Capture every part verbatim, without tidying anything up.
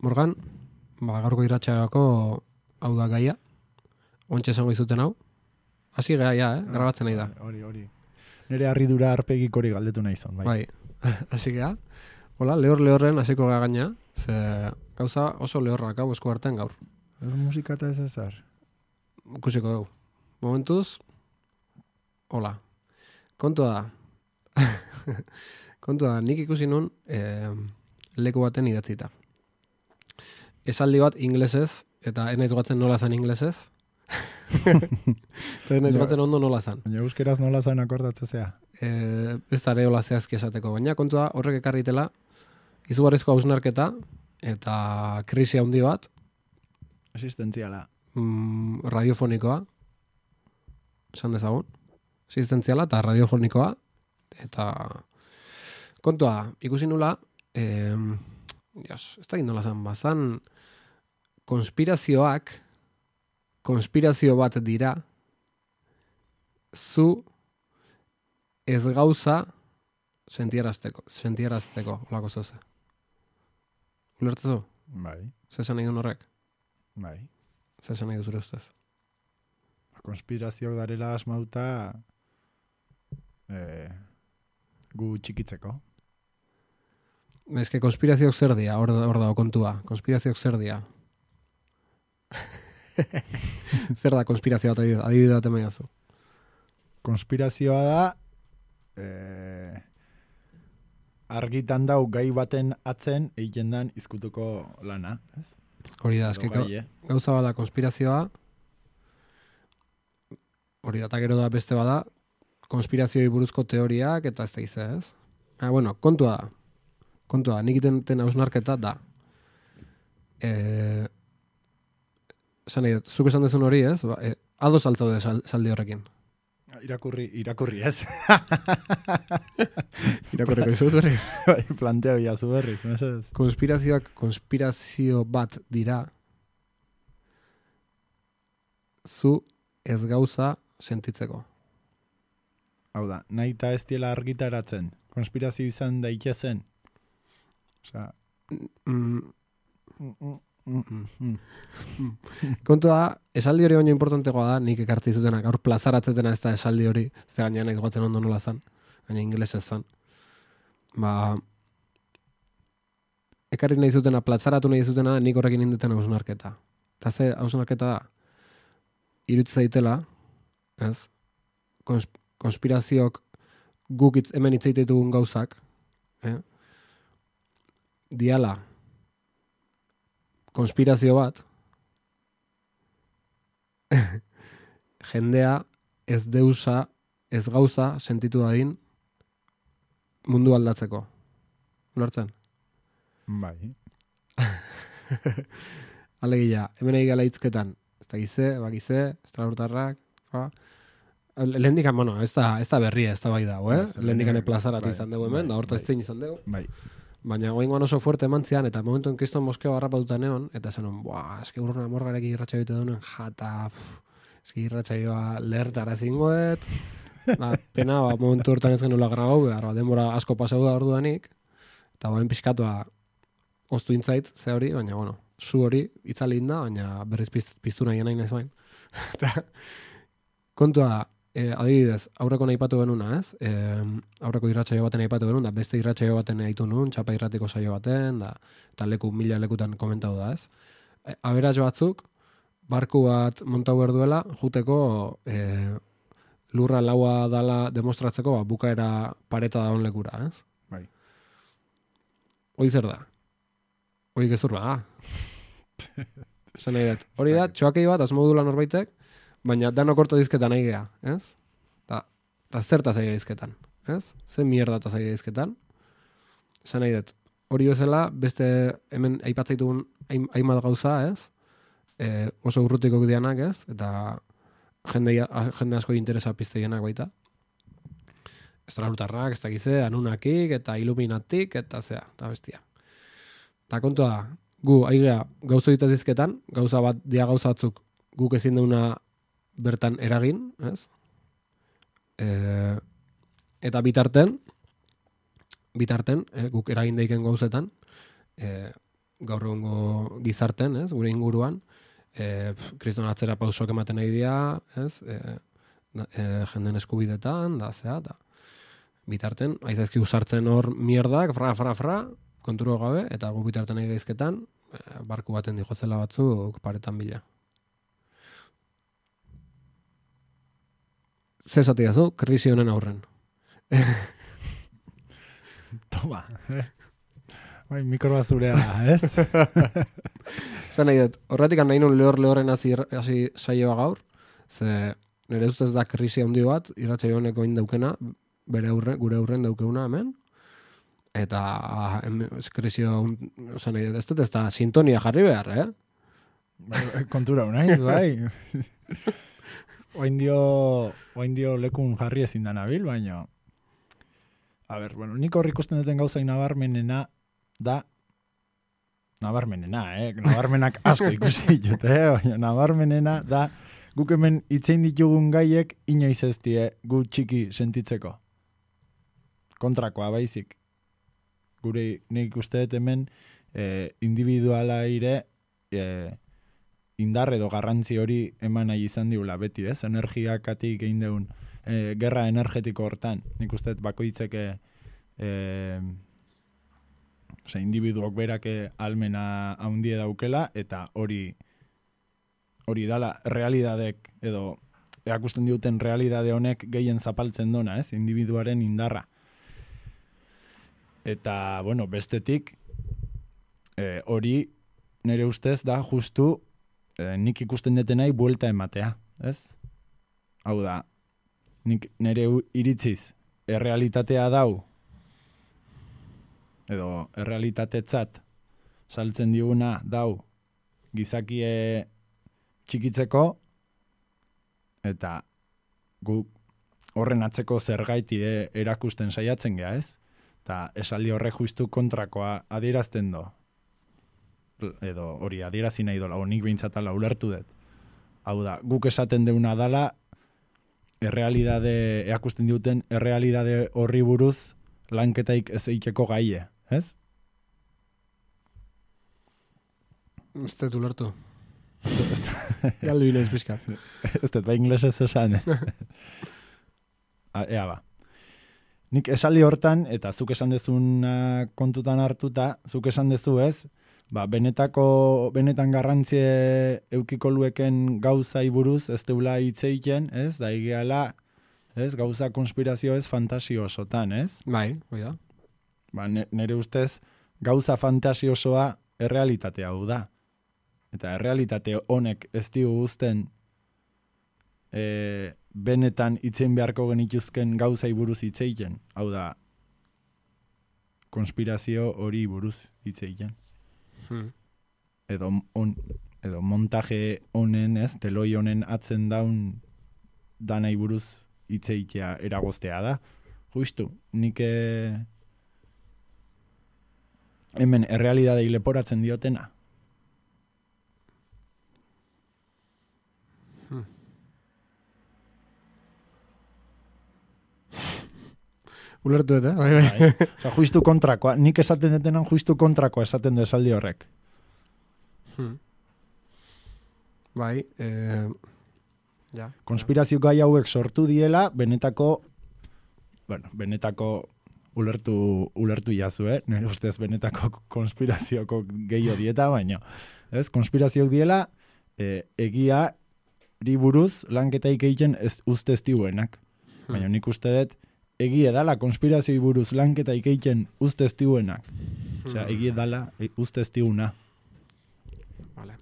Morgan, ba, gaurko irratxarako hau da gaia. Ontxe esango izuten hau. Hasi gaia, eh? Grabatzen nahi da. Hori, hori. Nire harridura arpegik hori galdetu nahi zon, bai. Bai, hasi gea. Hola, lehor lehorren hasiko gea gaina. Ze gauza oso lehorrak hau esku artean gaur. Ez musika eta ez ezar. Ikusiko dugu. Momentuz, hola. Kontua da. Kontua da, nik ikusi nun eh, leku baten idatzita. Esaldi bat inglesez, eta ez naiz goatzen nola zan inglesez. Eta ez naiz goatzen ondo nola zan. Baina euskeraz nola zan akordatzea zea. Eh, ez da ere hola zehazki esateko. Baina kontua horrek ekarritela, izugarrizko hausnarketa, eta krisi handi bat, Existentziala. mm, radiofonikoa, esan dezagun, existentziala eta radiofonikoa, eta kontua, ikusi nula, eh, Dios, ez da gindola zan, bazan konspirazioak, konspirazio bat dira, zu ez gauza sentiarazteko, sentiarazteko, olako zoze. Ulertzu? Bai, Zesan nahi duen horrek? bai. Zesan nahi du zure ustez? Konspirazioak darela asmauta eh, gu txikitzeko. Ez que konspirazioak zer dia, hor hor dago kontua. Konspirazioak zer dia. Zer da konspirazioa bat adibide bat emaiazu? Konspirazioa da eh, argitan dau gai baten atzen egiten dan izkutuko lana, ez? Hori da, Edo eske gai, eh? gauza bada konspirazioa, hori da, eta gero da beste bada, konspirazioi buruzko teoriak, eta ez da izan, ez? Ah, bueno, kontua da. Kontua da, nik iten hausnarketa da. Eh, esan nahi dut, zuk esan dezun hori, ez? Ba, eh, ados altzaude sal, saldi horrekin. Irakurri, irakurri ez. Irakorreko izut hori. Bai, planteo jazu berriz, mesedez. Konspirazioak konspirazio bat dira, zu ez gauza sentitzeko. Hau da, nahi eta ez diela argitaratzen. Konspirazio izan daitezen. Osea, Mm, mm, mm, mm, mm. kontua da, esaldi hori baino importantegoa da, nik ekartzi zutena, gaur plazaratzetena ez da esaldi hori, ze gainean ez gotzen ondo nola zan, baina ingelesez zan. Ba, ekarri nahi zutena, plazaratu nahi zutena, nik horrekin induten hausnarketa. Eta ze hausnarketa da, irutz zaitela, ez, Kons, konspirazioak guk itz, hemen itzaitetugun gauzak, eh? Diala, konspirazio bat, jendea ez deusa, ez gauza sentitu dadin mundu aldatzeko. Ulertzen? Bai. Alegia, hemen egin gala hitzketan, ez da gize, bakize, estralurtarrak, ba. Lehendikan, bueno, ez da, ez da berria, ez da bai dago, eh? Lehendikan plazaratu bai, izan dugu hemen, bai, da horta bai. ez zein izan dugu. Bai. Baina goingoan oso fuerte emantzian, eta momentu en kriston moskeo harrapatuta neon, eta esan, buah, eski urruna morgarek irratxa joite duen, jata, pff, eski irratxa joa lehertara zingoet, ba, pena, ba, momentu hortan ez genuela grabau, behar, ba, denbora asko pasau da orduanik, eta bain pixkatua oztu intzait, ze hori, baina, bueno, zu hori, itzalin da, baina berriz pizt, piztu nahi nahi nahi bain. Eta, kontua da, E, adibidez, aurreko nahi patu benuna, ez? E, aurreko irratsaio baten nahi patu benuna, da beste irratsaio baten nahi nuen, txapa irratiko saio baten, da, eta leku, mila lekutan komentau da, ez? E, aberats batzuk, barku bat montau berduela, juteko e, lurra laua dala demostratzeko, ba, bukaera pareta da on lekura, ez? Bai. Hoi zer da? Hoi gezur da. Zan nahi dut. Hori da, txoakei bat, asmodula norbaitek, baina danok orto dizketan nahi geha, ez? Ta, ta zertaz aia dizketan, ez? Zer mierdataz aia dizketan? Esan nahi dut, hori bezala, beste hemen aipatzaitugun hainbat gauza, ez? E, oso urrutiko dianak, ez? Eta jende, jende asko interesa pizteienak baita. Estralutarrak, ez dakize, anunakik, eta iluminatik, eta zea, eta bestia. Eta kontua da, gu, aigea, gauza ditaz dizketan, gauza bat, dia gauza batzuk, guk ezin deuna bertan eragin, ez? E, eta bitarten, bitarten, e, guk eragin daiken gauzetan, e, gaur egungo gizarten, ez, gure inguruan, e, kriston atzera pausok ematen nahi dira, ez, e, e, jenden eskubidetan, da, zea, da. Bitarten, aizaizki usartzen hor mierdak, fra, fra, fra, konturo gabe, eta gu bitarten nahi gaizketan, e, barku baten dijozela batzuk paretan bila. Zesati dazu, krisi honen aurren. Toma. Bai, mikroa zurea, ez? Zer nahi dut, horretik nahi nun lehor lehorren hasi saioa gaur, ze nire ustez da krisi handi bat, irratsaio honeko daukena, bere aurre, gure aurren daukeuna hemen, eta krisi osan nahi dut, ez dut ez da sintonia jarri behar, eh? Bai, kontura unaiz, bai. Oain dio, oain dio lekun jarri ezin da nabil, baina... A ber, bueno, nik horri ikusten duten gauzain nabarmenena da... Nabarmenena, eh? Nabarmenak asko ikusi ditut, eh? Baina nabarmenena da guk hemen itzein ditugun gaiek inoiz ez die gu txiki sentitzeko. Kontrakoa baizik. Gure nik uste dut hemen eh, individuala ire... Eh, indar edo garrantzi hori eman nahi izan diula beti, ez? Energiakatik egin deun e, gerra energetiko hortan. Nik uste bakoitzeke e, ose, individuok berake almena haundie daukela, eta hori hori dala realidadek edo erakusten diuten realidade honek gehien zapaltzen dona, ez? Individuaren indarra. Eta, bueno, bestetik e, hori nire ustez da justu E, nik ikusten detenai buelta ematea, ez? Hau da, nik nire iritziz errealitatea dau, edo errealitatetzat saltzen diguna dau gizakie txikitzeko, eta gu horren atzeko zergaiti erakusten saiatzen gea, ez? Eta esaldi horre justu kontrakoa adierazten do. Edo hori adierazi nahi dola, honik behintzatala ulertu dut. Hau da, guk esaten deuna dala, errealidade, eakusten duten, errealidade horri buruz lanketaik ez eiteko gaie, ez? Ez dut ulertu. Galdu inaiz pixka. Ez dut, ba inglesez esan. Ea ba. Nik esaldi hortan, eta zuk esan dezuna kontutan hartuta, zuk esan dezu ez, ba, benetako, benetan garrantzie eukiko lueken gauzai buruz ez deula hitzeiten, ez? Da egiala, ez? Gauza konspirazio ez fantasio osotan, ez? Bai, bai da. Ba, nire ustez, gauza fantasiosoa errealitatea hau da. Eta errealitate honek ez digu guzten e, benetan hitzein beharko genituzken gauzai buruz hitzeiten. Hau da, konspirazio hori buruz hitzeiten. Hmm. Edo, on, edo montaje honen, ez, teloi honen atzen daun danai buruz hitzeitea eragoztea da. Justu, nik e, hemen errealidadei leporatzen diotena. Hmm. Ulertu eta, bai, bai. Bai. Osa, justu kontrakoa. Nik esaten detenan justu kontrakoa esaten du esaldi horrek. Hmm. Bai, eh, ja. Konspirazio gai hauek sortu diela, benetako, bueno, benetako ulertu, ulertu jazu, eh? Nire ustez benetako konspirazioko gehiago dieta, baina, ez? Konspirazioak diela, eh, egia riburuz lanketaik egiten ez uste ez diuenak. Hmm. Baina nik uste dut, egia dala konspirazioi buruz lanketa ikeiten uste ez diuenak. Osea, egia dala uste ez diuna. Vale.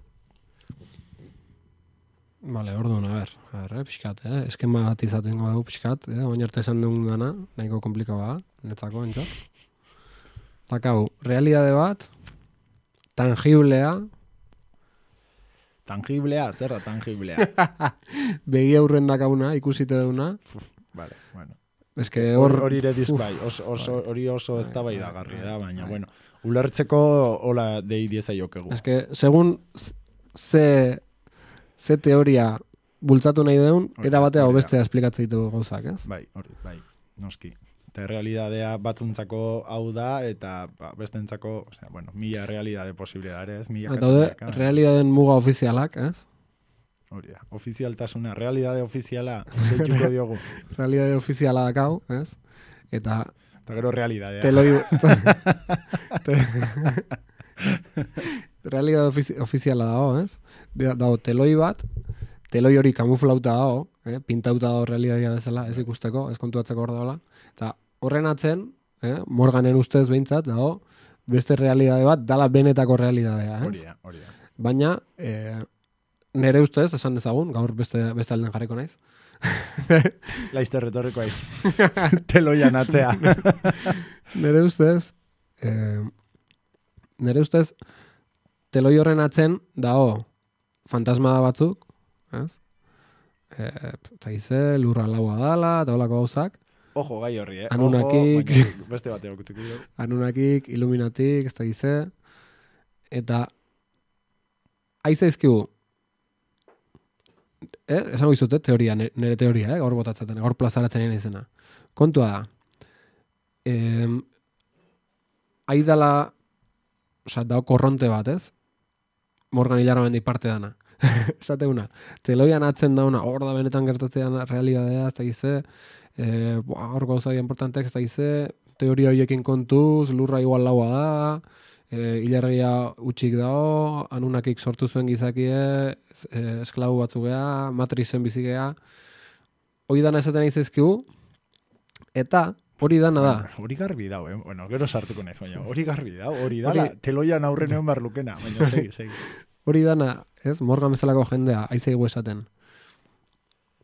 Vale, orduan, a ber, a ber, eh, pixkat, eh? Eskema bat izatengo dugu pixkat, eh? Oin arte esan dugun dana, nahiko komplikaua, netzako, entzat. Takau, realidade bat, tangiblea. Tangiblea, zer da tangiblea? Begi aurren dakauna, ikusite duna. Vale, bueno. Ez que hor... Hori ere dizbai, oso, oso, hori oso ez da bai da garri da, baina, bueno, ulertzeko hola dei dieza jokegu. Ez que, segun ze, ze teoria bultzatu nahi deun, era batea o bestea esplikatzen ditugu gauzak, ez? Bai, hori, bai, noski. Eta realidadea batzuntzako hau da, eta ba, bestentzako, o sea, bueno, mila realidade posibilidades, mila Daude, realidaden muga ofizialak, ez? Hori da, ofizialtasuna, realidade ofiziala, deituko diogu. Realidade ofiziala dakau, ez? Eta... Eta gero realidadea. Teloi... te... realidade ofizi ofiziala dago, ez? Dago, teloi bat, teloi hori kamuflauta dago, eh? Pintauta dago realidadea bezala, ez ikusteko, ez kontuatzeko hor dagoela. Eta horren atzen, eh? Morganen ustez behintzat, dago, beste realidade bat, dala benetako realidadea, ez? Hori da, hori da. Baina, eh, nere ustez, esan dezagun, gaur beste, beste alden jarriko naiz. Laizter retorriko aiz. Teloian atzea. Nere ustez, eh, nere ustez, teloi horren atzen dago fantasmada batzuk, ez? Eh, eta ize, lurra laua dala, eta holako gauzak. Ojo, gai horri, eh? Anunakik, Ojo, beste bateo kutsiko. Anunakik, Illuminatik, ez da ize. Eta aizaizkigu, eh? Esango izute, teoria, nire teoria, eh? Gaur botatzaten, gaur plazaratzen egin izena. Kontua da, eh, aidala, oza, dao korronte bat, ez? Morgan Hilarramendi parte dana. Esate una, teloian atzen dauna, hor da benetan gertatzean realidadea, ez da gize, e, hor gauza importantek, ez da gize, teoria horiekin kontuz, lurra igual laua da, e, hilarria utxik dao, Anunakik sortu zuen gizakie, e, esklabu batzu geha, matrizen bizi geha, hori dana esaten izazkigu, eta hori dana da. Hori garbi dao, eh? Bueno, gero sartuko naiz, baina hori garbi dao, hori da, teloian aurrenean barlukena, baina segi, segi. Hori dana, ez, Morgan bezalako jendea, aizeigu esaten,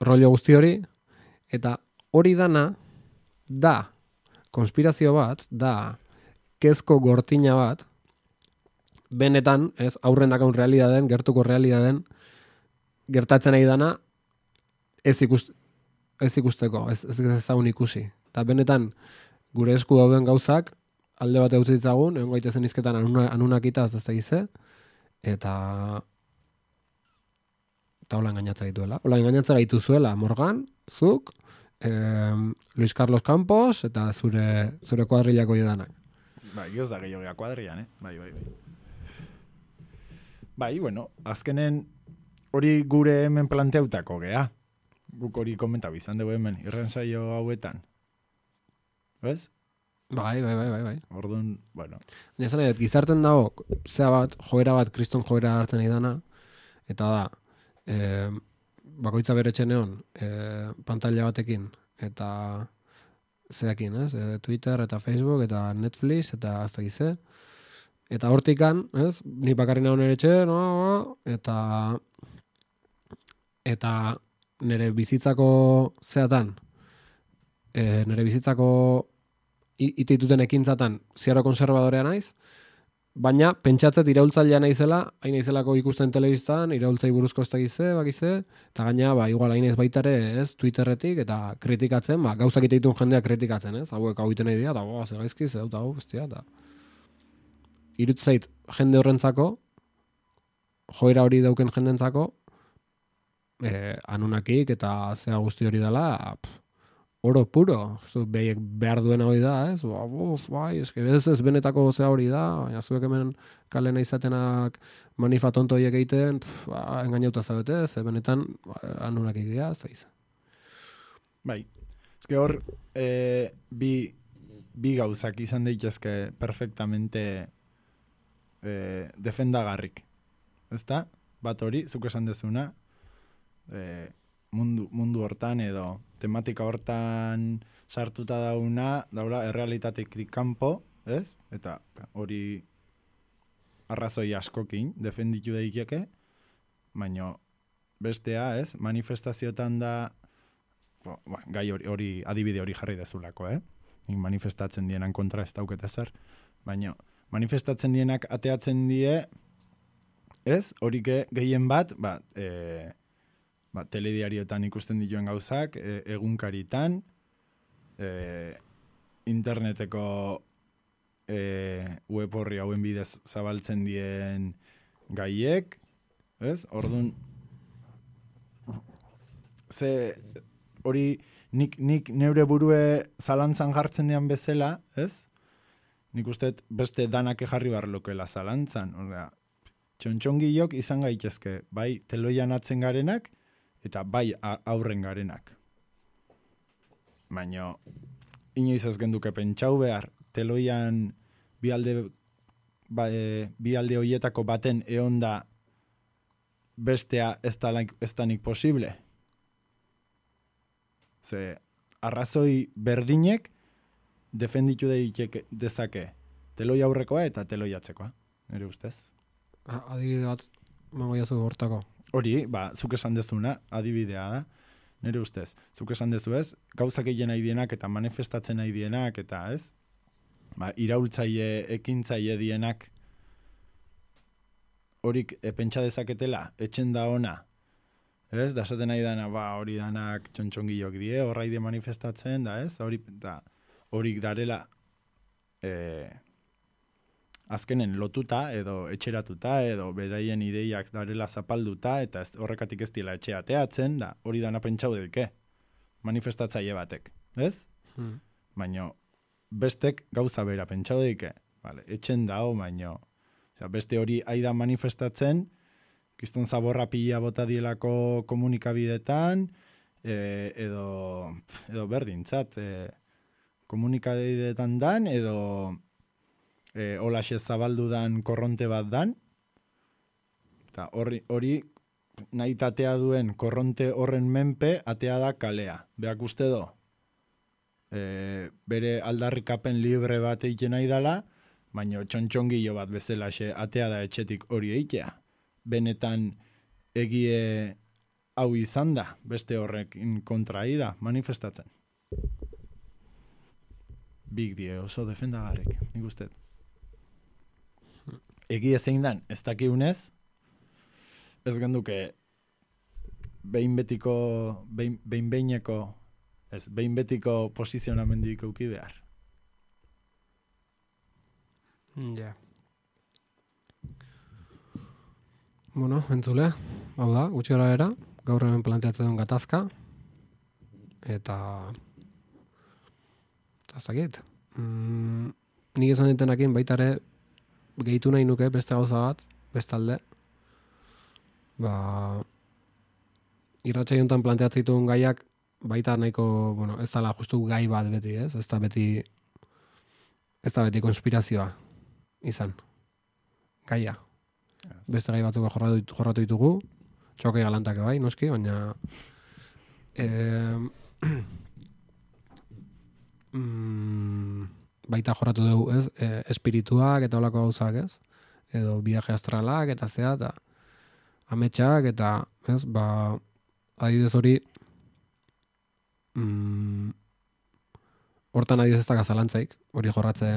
rollo guzti hori, eta hori dana, da, konspirazio bat, da, kezko gortina bat, benetan, ez, aurren dakaun realidaden, gertuko realidaden, gertatzen nahi dana, ez, ikust, ez ikusteko, ez, ez ezagun ikusi. Eta benetan, gure esku dauden gauzak, alde bat eutzi ditzagun, egon gaitezen izketan Anunakitaz ez da gize, eta eta hola engainatza dituela. Hola engainatza gaitu zuela, Morgan, zuk, eh, Luis Carlos Campos, eta zure zure kuadrilako jodanak. Bai, gioz da gehiago kuadrilan, eh? Bai, bai, bai. Bai, bueno, azkenen hori gure hemen planteautako gea. Guk hori komentau izan dugu hemen, irrensaio hauetan. Bez? Bai, bai, bai, bai, bai. Orduan, bueno. Ja, esan nahi, gizarten dago, zea bat, joera bat, kriston joera hartzen nahi dana, eta da, e, bakoitza bere txeneon, e, pantalla batekin, eta zeakin, ez? E, Twitter, eta Facebook, eta Netflix, eta azta gize. Eta hortikan, ez? Ni bakarri nago nire txe, no, eta eta nire bizitzako zeatan, e, nire bizitzako iteituten ekintzatan ziaro konservadorea naiz, baina pentsatzet iraultzailea naizela, hain naizelako ikusten telebistan, iraultzai buruzko ez da gize, bakize, eta gaina, ba, igual hain ez baitare, ez, Twitterretik, eta kritikatzen, ba, gauzak iteitun jendea kritikatzen, ez, hauek hau iten nahi dira, eta, boa, ze gaizki, ze dut hau, bestia, eta irutzait jende horrentzako, joera hori dauken jendentzako, eh, Anunakik, eta zea guzti hori dela, pff, oro puro, behiek behar duena hori da, ez? Uf, bai, eske ez ez benetako zea hori da, baina zuek hemen kalena izatenak manifa tonto horiek egiten, pff, ba, engainauta zabete, ze benetan Anunak egitea, ez da izan. Bai, eske hor, e, bi, bi gauzak izan daitezke perfectamente e, defendagarrik. Ezta? Bat hori, zuk esan dezuna, e, mundu, mundu hortan edo tematika hortan sartuta dauna, daula errealitatetik kanpo, ez? Eta hori arrazoi askokin defenditu daiteke, baina bestea, ez? Manifestazioetan da, bo, ba, gai hori, hori adibide hori jarri dezulako, eh? Nik manifestatzen dienan kontra ez dauket ezer, baina manifestatzen dienak ateatzen die, ez? Horike gehien bat, ba, e, ba, telediarioetan ikusten dituen gauzak, e, egunkaritan, e, interneteko e, web horri hauen bidez zabaltzen dien gaiek, ez? Orduan, ze hori nik, nik neure burue zalantzan jartzen dian bezala, ez? Nik uste beste danak jarri barlokela zalantzan. Osea, txontxongilok izan gaitezke, bai teloian atzen garenak, eta bai aurren garenak. Baina, inoiz ez genduke pentsau behar, teloian bi alde, ba, e, bi alde hoietako baten eonda bestea ez danik posible. Ze, arrazoi berdinek defenditu deitek dezake teloi aurrekoa eta teloi atzekoa, nire ustez. Adibide bat, mango jazu hortako. Hori, ba, zuk esan dezuna, adibidea da, nire ustez. Zuk esan dezu ez, gauzak egin nahi dienak eta manifestatzen nahi dienak eta ez, ba, iraultzaile, ekintzaile dienak horik e, pentsa dezaketela, etxen da ona, ez, da esaten nahi dana, ba, hori danak txontxongilok die, horra ide manifestatzen, da ez, hori, da, horik darela e, azkenen lotuta edo etxeratuta edo beraien ideiak darela zapalduta eta ez, horrekatik ez dila etxe ateatzen, da hori dana pentsau dedike, manifestatzaile batek, ez? Hmm. Baina bestek gauza bera pentsau dedike, vale, etxen dao, baino, osea, beste hori aida manifestatzen, kiston zaborra pila bota dielako komunikabidetan, e, edo, edo berdintzat, e, komunikabidetan dan, edo E, olaxe zabaldu dan korronte bat dan, eta hori, hori nahi tatea duen korronte horren menpe atea da kalea. Beak uste do, e, bere aldarrikapen libre bat egiten nahi dala, baina txontxongillo bat bezalaxe atea da etxetik hori eitea. Benetan egie hau izan da, beste horrekin kontra da, manifestatzen. Big die, oso defendagarrik, nik uste. Egia zein dan, ez dakiunez, ez genduke behin betiko, behin, behin behineko, ez, behin betiko posizionamendik euki behar. Ja. Yeah. Bueno, entzule, hau da, gutxi gara era, gaur hemen planteatzen duen gatazka, eta eta ez dakit. Mm, nik esan ditenakin baitare gehitu nahi nuke beste gauza bat, bestalde. Ba, irratxa jontan planteatzen dituen gaiak baita nahiko, bueno, ez dala justu gai bat beti, ez? Ez da beti, ez da beti konspirazioa izan. Gaia. Yes. Beste gai batzuk jorratu, jorratu ditugu, txoke galantak bai, noski, baina eh, mm, baita jorratu dugu, ez? E, espirituak eta holako gauzak, ez? Edo viaje astralak eta zea, eta ametsak eta, ez? Ba, adidez hori mm, hortan adidez ez da gazalantzaik, hori jorratze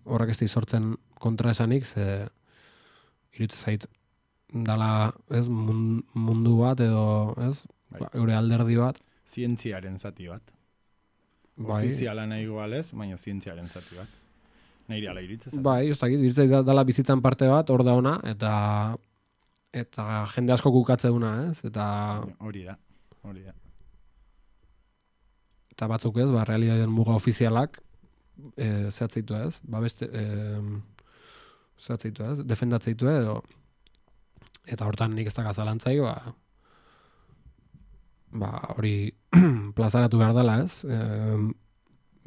horrek ez sortzen kontra esanik, ze irutze zait dala, ez? Mundu bat edo, ez? Ba, eure alderdi bat. Zientziaren zati bat. Bai. Ofiziala nahi igualez, baina zientziaren zati bat. Nahi ala iritzez. Bai, ez dakit, iritzez dala bizitzan parte bat, hor da ona, eta eta jende asko kukatze duna, ez? Eta hori da, hori da. Eta batzuk ez, ba, realitatean muga ofizialak e, zehatzeitu ez, ba beste e, zehatzeitu ez, defendatzeitu edo eta hortan nik ez da gazalantzaik, ba ba, hori plazaratu behar dela, ez? E,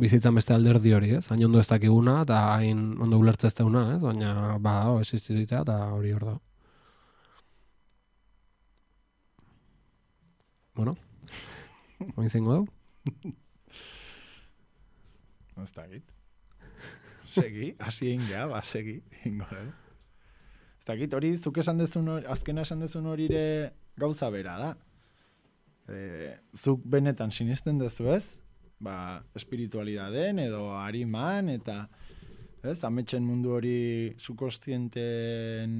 bizitzan beste alderdi hori, ez? Hain ondo ez dakiguna, eta hain ondo ulertzezteuna, ez? Baina, ba, o, existitua, eta hori hor da. Bueno, oin zingo du? Ez dakit. Segi, hasi ingea, ba, segi, ingo da. Ez dakit, hori, zuk esan dezun hori, azkena esan dezun hori ere gauza bera da. E, zuk benetan sinisten dezu ez, ba, espiritualidaden edo hariman eta ez, ametsen mundu hori sukostienten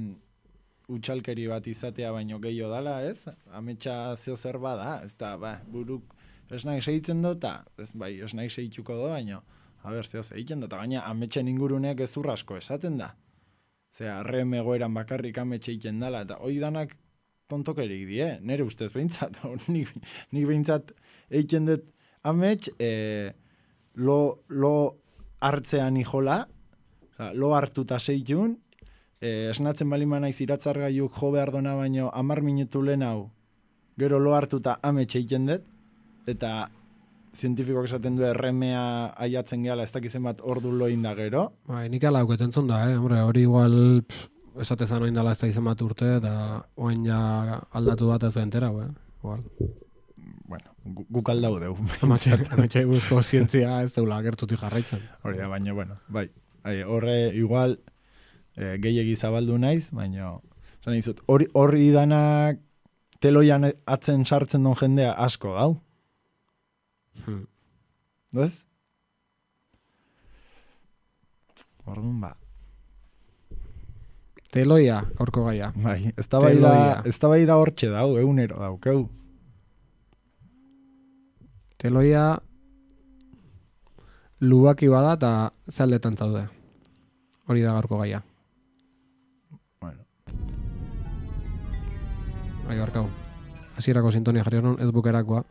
utxalkeri bat izatea baino gehiago dala, ez? Ametsa zeo zer bada, ez da, ba, buruk esnaik segitzen dota, ez, bai, esnaik segituko do, baino, a ber, zeo segitzen dota, gaina ametsen inguruneak ezurrasko esaten da. Zea, arrem egoeran bakarrik ametxe egiten dala, eta hoi danak tontokerik die, nire ustez behintzat, nik, nik behintzat eiken dut amets, e, lo, lo hartzean ijola, oza, lo hartuta seitun, e, esnatzen bali manaiz iratzargaiuk jo behar dona baino amar minutu lehen hau, gero lo hartuta amets eiken dut, eta zientifikoak esaten du erremea aiatzen gehala, ez dakizen bat ordu loin da gero. Bai, nik ala auketzen zon da, eh? Hombre, hori igual pff, esatezan oin dala ez da izan bat urte, eta oin ja aldatu bat ez da entera, eh? Igual. Bueno, guk aldau deu. Ametxe buruzko zientzia ez deula gertutik jarraitzen. Hori da, baina, bueno, bai. Horre, igual, e, gehiegi zabaldu naiz, baina, zan izut, hori, hori danak teloian atzen sartzen don jendea asko gau. Hmm. Doz? Orduan, ba. Teloia, aurko gaia. Bai, ez da bai da, ez da bai da hortxe dau, egunero daukeu. Teloia lubaki bada eta zaldetan zaude. Hori da gaurko gaia. Bueno. Bai, barkau. Hasierako sintonia jarri honon, ez bukerakoa.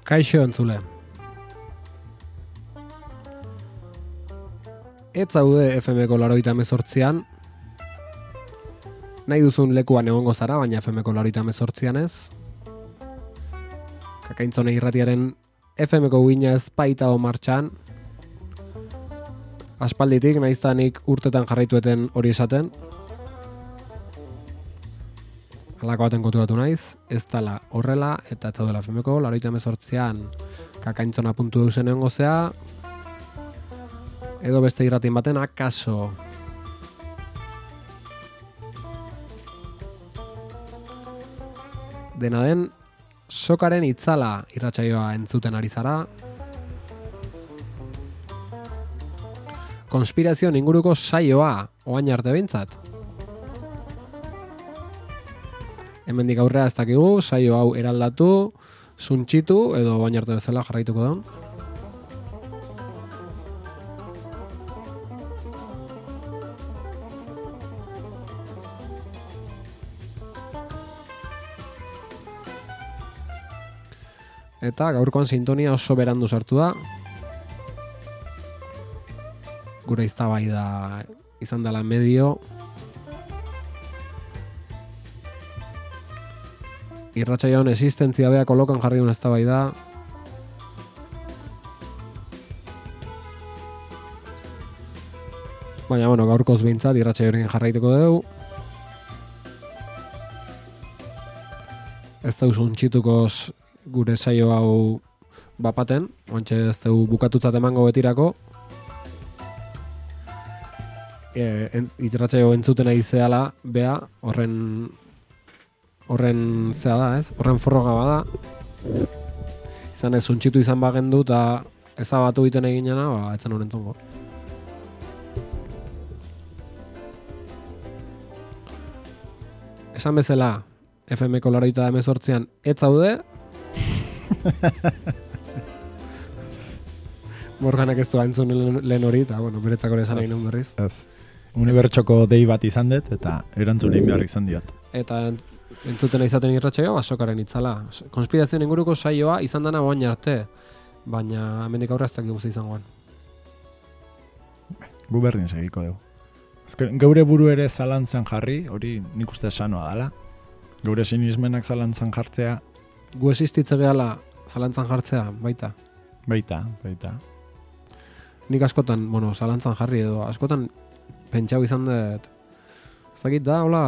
Kaixo entzule. Ez zaude F M ko laurogeita hemezortzian, nahi duzun lekuan egongo zara, baina F M ko laurogeita hemezortzian ez. Kakaintzone irratiaren F M ko guina ez baita o martxan. Aspalditik, naiztanik urtetan jarraitueten hori esaten. Halako baten konturatu naiz, ez dala horrela, eta ez zaudela F M ko laurogeita hemezortzian kakaintzona puntu eusen egongo zea, edo beste irratin baten akaso. Dena den, sokaren itzala irratsaioa entzuten ari zara. Konspirazioen inguruko saioa, oain arte behintzat. Hemendik aurrera ez dakigu, saio hau eraldatu, suntxitu, edo oain arte bezala jarraituko daun. Eta gaurkoan sintonia oso berandu sartu da. Gure eztabaida izan dela medio. Irratsaioan existentzia bea kolokan jarri duen eztabaida. Baina, bueno, gaurkoz behintzat irratsaioarekin jarraituko dugu. Ez da usuntxitukoz gure saio hau bapaten, ontxe ez dugu bukatutzat emango betirako. E, entz, irratsaio entzuten ari zehala, bea, horren horren zea da, ez? Horren forroga bada. Izan ez, untxitu izan bagendu eta ezabatu egiten eginena, ba, etzen honen zongo. Esan bezala, F M ko laurogeita hemezortzian ez zaude. Morganak ez du entzun lehen hori, eta, bueno, beretzako ere esan egin hon berriz. Ez. Unibertsoko dei bat izan dut, eta erantzunein behar izan diot. Eta entzuten izaten irratsaioa, basokaren itzala. Konspirazioen inguruko saioa izan dana oain arte, baina hemendik aurra ez dakigu ze izangoan. Gu berdin segiko dugu. Azken, geure buru ere zalantzan jarri, hori nik uste sanoa dala. Geure sinismenak zalantzan jartzea, gu existitze gehala zalantzan jartzea, baita. Baita, baita. Nik askotan, bueno, zalantzan jarri edo, askotan pentsau izan dut, ez dakit da, hola,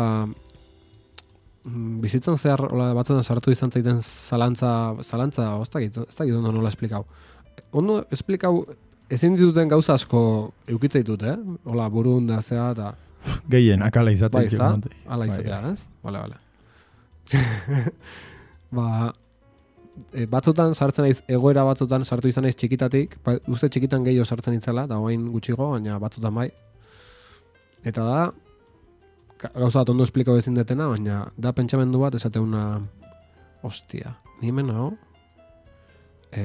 bizitzan zehar, hola, batzuetan sartu izan zaiten zalantza, zalantza, ez dakit, ez dakit ondo nola esplikau. Ondo esplikau, ezin dituten gauza asko eukitze ditut, eh? Hola, burun da zea, eta... Gehien, akala izatea. Bai, ez da? Ala izatea, ez? Bale, bale. Ba, e, batzutan sartzen naiz, egoera batzutan sartu izan naiz txikitatik, ba, uste txikitan gehiago sartzen itzela, da oain gutxigo, baina batzutan bai. Eta da, gauza bat ondo esplikau ezin detena, baina da pentsamendu bat esateuna, hostia, ni hemen hau, e,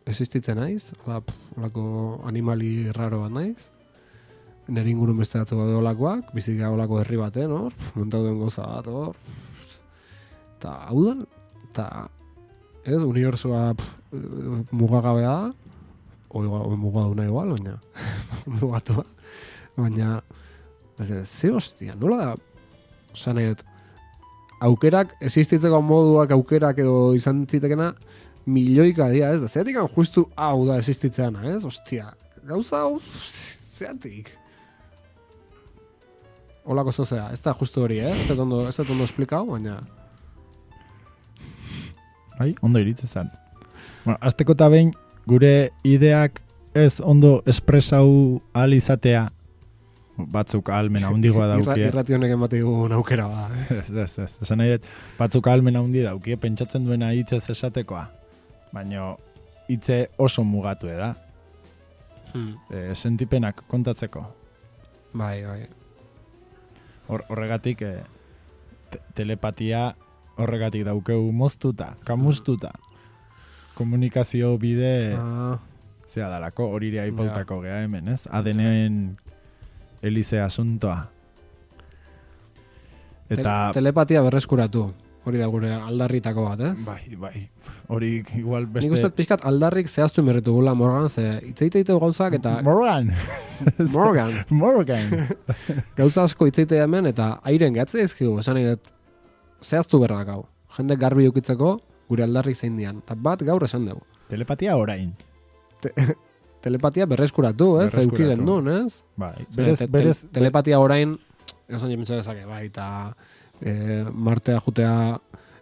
existitzen naiz, hola, holako animali raro bat naiz, nire ingurun beste batzu bat olakoak, bizika olako herri baten, hor, montau duen goza bat, hor, eta hau da, eta ez, unibertsua mugagabea da, o, o mugaduna igual, baina, mugatua, baina, ez, ze hostia, nola da, oza nahi dut, aukerak, existitzeko moduak aukerak edo izan zitekena, milioika dia, ez da, zeatik justu hau da existitzeana, ez, hostia, gauza hau, zeatik. Olako zozea, ez da justu hori, eh? Ez da ondo, ez da ondo esplikau, baina... Bai, ondo iritze zen. Bueno, azteko eta behin, gure ideak ez ondo espresau ahal izatea, batzuk ahalmena hundigoa daukie. Irrati honek ematik aukera ba. Ez, ez, ez. Esan nahi dut, batzuk ahalmena hundi daukie, pentsatzen duena hitzez esatekoa. Baina hitze oso mugatu da. Hmm. E, sentipenak kontatzeko. Bai, bai. Hor, horregatik e, te telepatia horregatik daukeu moztuta, kamustuta. Komunikazio bide ah. zea dalako, horirea ipautako ja. Gea hemen, ez? A D N-en elize asuntoa. Eta... Te telepatia berreskuratu, hori da gure aldarritako bat, ez? Bai, bai. Hori igual beste... Nik uste pixkat aldarrik zehaztu merretu gula Morgan, ze itzeiteite gauzak eta... Morgan! Morgan! Morgan! Gauza asko itzeite hemen eta airen gehatze ezkigu, esan nahi dut zehaztu berrak hau. Jende garbi eukitzeko gure aldarrik zein dian. Eta bat gaur esan dugu. Telepatia orain. Te telepatia berreskuratu, ez? Eukiden duen, ez? Bai, berez, te berez... Te telepatia orain, esan jementza dezake, bai, eta e, martea jutea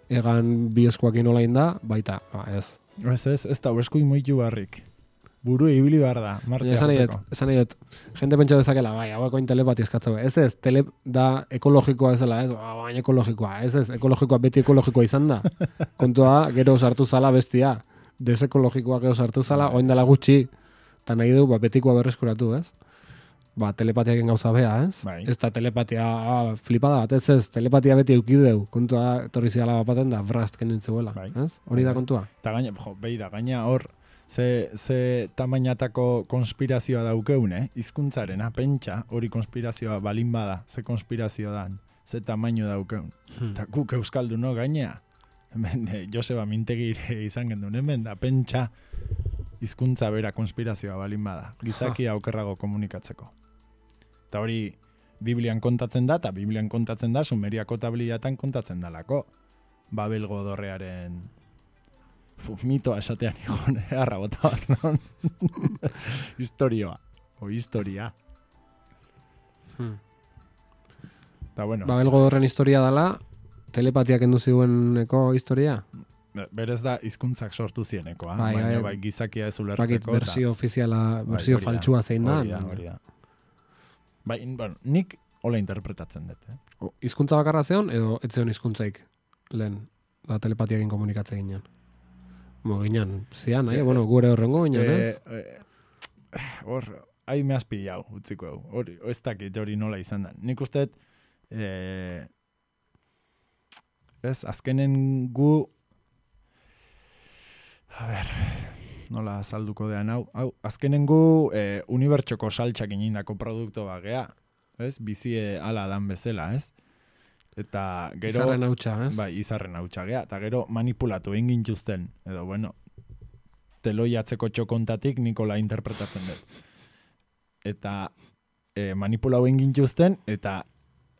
egan bi eskuakin olain da, baita, ba, ez. Ez, ez, ez da, eskuik moitu barrik. Buru ibili behar da, martea esan juteko. Esan nahi dut, jende pentsa dezakela, bai, hauekoin telepatia eskatzeko. Ez ez, tele da ekologikoa ez dela, ez, baina ekologikoa, ez ez, ekologikoa beti ekologikoa izan da. Kontua, gero sartu zala bestia, desekologikoa gero sartu zala, oin dela gutxi, eta nahi du, ba, betikoa berreskuratu, ez? Ba, telepatiaken gauza bea, ez? Bai. Ez da telepatia ah, flipada bat, ez ez, telepatia beti eukideu, kontua etorri zidala bapaten da, brast kenintzuela, bai. Ez? Hori da kontua. Eta gaina, jo, behi da, gaina hor, ze, ze tamainatako konspirazioa daukeun, eh? Hizkuntzarena, pentsa, hori konspirazioa balin bada, ze konspirazioa dan, ze tamaino daukeun. Eta hmm. guk euskaldu, no, gaina, hemen, eh, Joseba Mintegire izan gendun, hemen, da, pentsa, hizkuntza bera konspirazioa balin bada, gizakia okerrago komunikatzeko. Eta hori Biblian kontatzen da, eta Biblian kontatzen da, Sumeriako tabliatan kontatzen dalako. Babelgo dorrearen fu, mitoa esatean igon, harra bota bat, non? Historioa, o historia. Hmm. Eta bueno. Babelgo dorren historia dala, telepatiak endu ziueneko historia? Berez da hizkuntzak sortu zienekoa, bai, baina bai, bai gizakia ez ulertzeko. Bersio ofiziala, bersio bai, faltsua zein da. Hori da, hori da. Bai, bueno, nik hola interpretatzen dut. Eh? O, hizkuntza bakarra zeon, edo ez zeon hizkuntzaik lehen, da telepatiakin komunikatze ginen. Mo, ginen, zian, eh, bueno, gure horrengo ginen, eh? Eh, hor, hai me has pillau, utziko hau. Hori, ez dakit hori nola izan da. Nik uste, eh, ez, azkenen gu, a ber, nola salduko dean hau, hau azkenen gu eh, unibertsoko saltxak inindako produktu bagea, ez? Bizie ala dan bezala, ez? Eta gero... Izarren hautsa, ez? Bai, izarren hautsa gea, eta gero manipulatu egin gintuzten, edo, bueno, teloiatzeko txokontatik Nikola interpretatzen dut. Eta eh, manipulau egin gintuzten, eta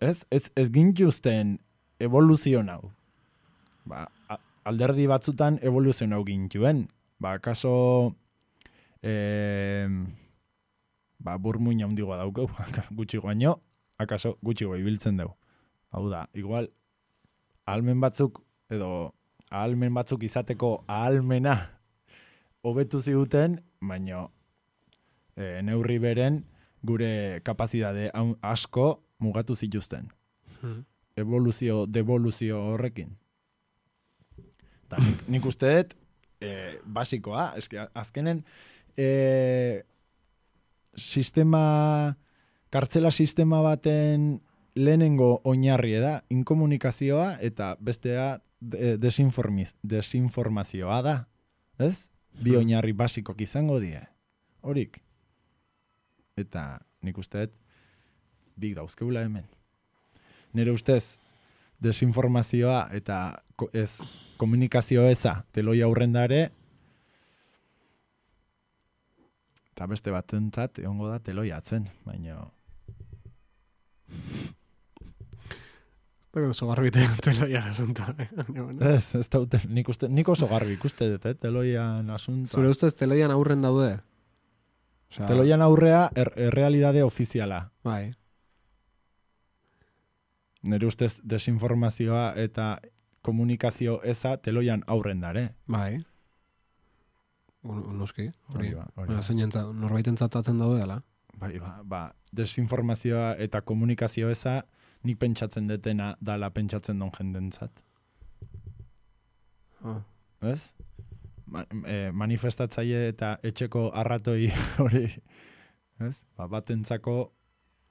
ez, ez, ez gintuzten evoluzio hau. Ba, alderdi batzutan evoluzionau gintuen. Ba, kaso eh, ba, burmuina handigoa daukeu, gutxi baino, akaso gutxi ibiltzen dugu. Hau da, igual, ahalmen batzuk, edo ahalmen batzuk izateko ahalmena hobetu ziguten, baino e, neurri beren gure kapazidade asko mugatu zituzten. Hmm. Evoluzio, devoluzio horrekin. Ta, nik, nik uste dut, e, basikoa, eske, azkenen e, sistema, kartzela sistema baten lehenengo oinarri da, inkomunikazioa eta bestea desinformiz, desinformazioa da. Ez? Bi oinarri basikok izango die. Horik. Eta nik uste dut, big dauzkeula hemen. Nire ustez, desinformazioa eta ez komunikazio eza teloi aurrendare, eta beste batentzat egongo da teloi atzen, baina... Eta oso garbi teloian asunta. Ez, ez da, nik, uste, nik oso garbi ikuste dut, eh, teloian asunta. Zure ustez teloian aurren daude? Osea, teloian aurrea er, errealidade ofiziala. Bai. Nire ustez desinformazioa eta komunikazio eza teloian aurren dare. Bai. Noski, hori. Norbaiten zatatzen daude dela. Bai, ba, ba, desinformazioa eta komunikazio eza nik pentsatzen detena dala pentsatzen don jendentzat. Oh. Ez? Ma, e, manifestatzaile eta etxeko arratoi hori, ez? Ba, batentzako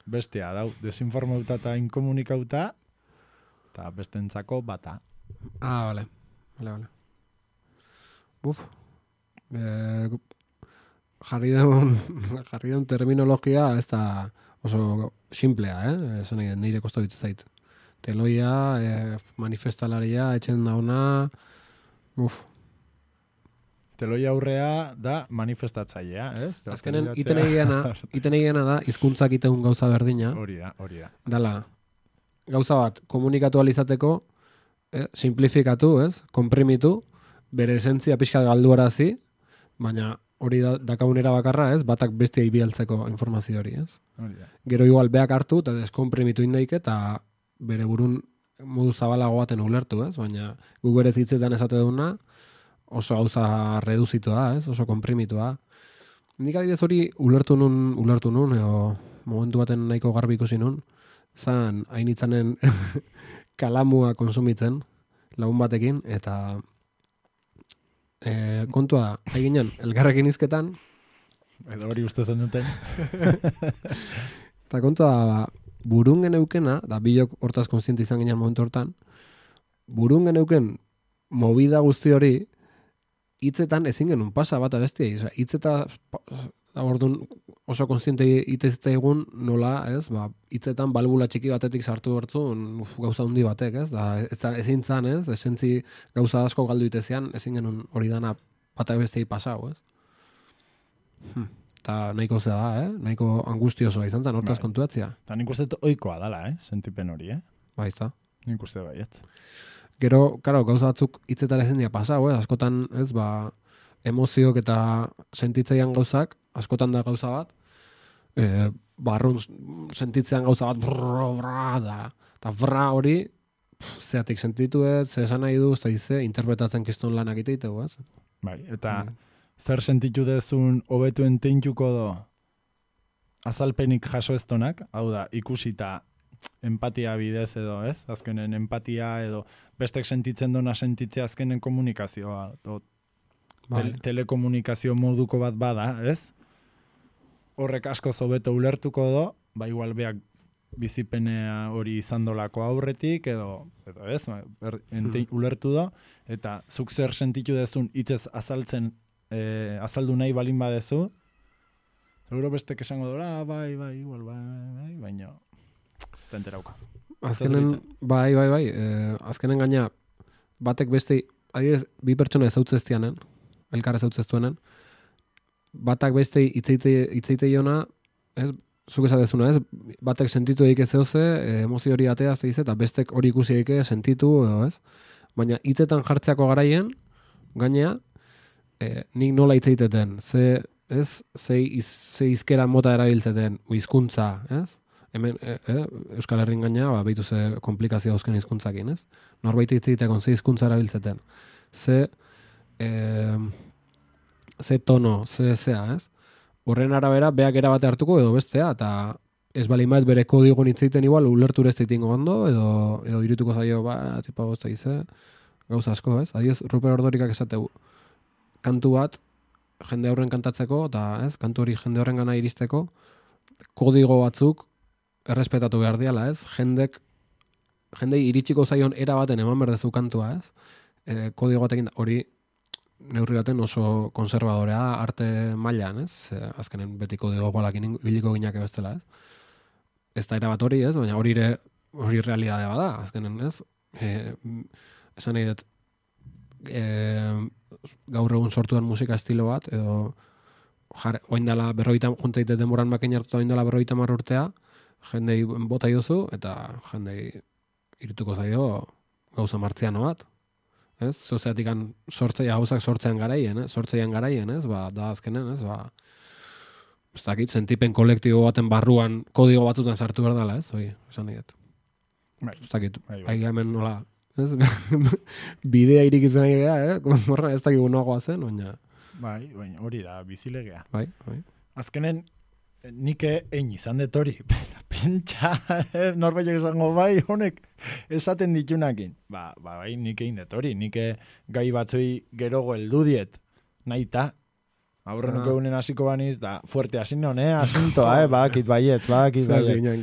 bestea dau, desinformauta eta inkomunikauta, eta bestentzako bata. Ah, vale. Vale, vale. Buf. Eh, jarri daun, jarri daun terminologia ez da oso simplea, eh? Esan egin, nire kosta ditu zait. Teloia, eh, manifestalaria, etxen dauna, uf. Teloia aurrea da manifestatzailea, ez? Azkenen, iten egiana, iten egiana da, hizkuntzak iteun gauza berdina. Hori da, hori da. Dala, gauza bat, komunikatu alizateko, eh, simplifikatu, ez? Komprimitu, bere esentzia pixka galduarazi, baina hori da, dakaunera bakarra, ez? Batak bestia ibialtzeko informazio hori, ez? Gero igual beak hartu eta deskomprimitu indaik eta bere burun modu zabalago baten ulertu, ez? Baina gu berez hitzetan esate duna oso gauza reduzitua, ez? Oso komprimitua. Nik adibidez hori ulertu nun, ulertu nun, edo momentu baten nahiko garbi ikusi nun, zan hainitzanen kalamua konsumitzen lagun batekin, eta e, kontua da, haiginen, elgarrekin izketan, edo hori uste zen duten. Eta kontua da, burun geneukena, da bilok hortaz konstiente izan ginen momentu hortan, burun geneuken movida guzti hori, hitzetan ezin genuen pasa bat abestiei. Osa, hitzeta ordun oso konstiente itezita egun nola, ez? Ba, hitzetan balbula txiki batetik sartu hortu gauza handi batek, ez? Da, ez, ezin zan, ez? Esentzi gauza asko galdu itezean, ezin genuen hori dana bat abestiei pasau, ez? Hmm. Ta nahiko zea da, eh? Nahiko angustiosoa izan zen, hortaz kontuatzia. Ta nik uste oikoa dala, eh? Sentipen hori, eh? Ba, izta. Nik uste baiet. Gero, karo, gauza batzuk hitzetara ezin dira pasau, eh? Askotan, ez, ba, emoziok eta sentitzeian gauzak, askotan da gauza bat, e, barrun sentitzean gauza bat, brrr, brrr, da, eta brrr hori, pff, zeatik sentitu ez, ze esan nahi du, ez da dize, interpretatzen kiston lanak iteitegu, ez? Bai, eta... Mm. Zer sentitu dezun hobetuen teintuko do azalpenik jaso eztonak, hau da, ikusita empatia bidez edo, ez? Azkenen empatia edo bestek sentitzen dona sentitzea azkenen komunikazioa. Do, tel, telekomunikazio moduko bat bada, ez? Horrek asko hobeto ulertuko do, ba igual beak bizipenea hori izandolako aurretik edo, edo ez? Er, ente, hmm. ulertu do, eta zuk zer sentitu dezun hitzez azaltzen Eh, azaldu nahi balin badezu, seguro bestek esango dola, bai, bai, igual, bai, bai, baina ez da enterauka. Azkenen, bai, bai, bai, eh, azkenen gaina, batek beste, adibidez, bi pertsona ezautzeztianen, elkar ezautzeztuenen, batak beste itzeite jona, ez, zuk esatezuna, ez, batek sentitu eik ez zeuze, emozio hori atea, ez eta bestek hori ikusi eike sentitu, edo, ez, baina hitzetan jartzeako garaien, gainea, e, nik nola hitz egiteten, ze, ez, ze, iz, ze izkera mota erabiltzeten, hizkuntza, ez? Hemen, e, e, Euskal Herrin gaina, ba, behitu ze komplikazio dauzken hizkuntzakin, ez? Norbait hitz egiteko ze hizkuntza erabiltzeten, ze, e, ze tono, ze zea, ez? Horren arabera, beak erabate hartuko edo bestea, eta ez bali maet bere kodigon hitz egiten igual, ulertu ez ditingo ondo, edo, edo irituko zaio, ba, tipa gozta gize, gauza asko, ez? Adioz, Ruper Ordorikak esateu, kantu bat, jende horren kantatzeko, eta ez, kantu hori jende horren gana iristeko, kodigo batzuk errespetatu behar diala, ez? Jendek, jendei iritsiko zaion era baten eman berdezu kantua, ez? E, kodigo batekin hori neurri baten oso konservadorea arte mailan, ez? Ze, azkenen beti kodigo gualakin ibiliko ginake bestela, ez? Ez da era bat hori, ez? Baina hori ere, hori realidadea bada, azkenen, ez? E, esan nahi dut, e, gaur egun sortu den musika estilo bat, edo jar, oindala berroita, junteite denboran makin hartuta oindala berroita mar urtea, jendei bota duzu, eta jendei irituko zaio gauza martziano bat. Ez? Zozeatik sortzea, gauzak sortzean garaien, ez? Sortzean garaien, ez? Ba, da azkenen, ez? Ba, ez dakit, sentipen kolektibo baten barruan kodigo batzutan sartu behar dela, ez? Hoi, esan diet. Ez dakit, bai hemen nola, ez? Bidea irik izan egea, eh? Morra ez dakit unagoa zen, baina... Bai, baina hori da, bizilegea. Bai, bai. Azkenen, nike egin izan dut hori, pentsa, norbaitek esango bai, honek esaten ditunakin. Ba, ba bai, nik egin dut hori, nike gai batzui gerogo heldu diet, nahi ta, aurren nuke unen hasiko baniz, da, fuerte hasin non, eh, asuntoa, eh, bakit baietz, bakit baietz.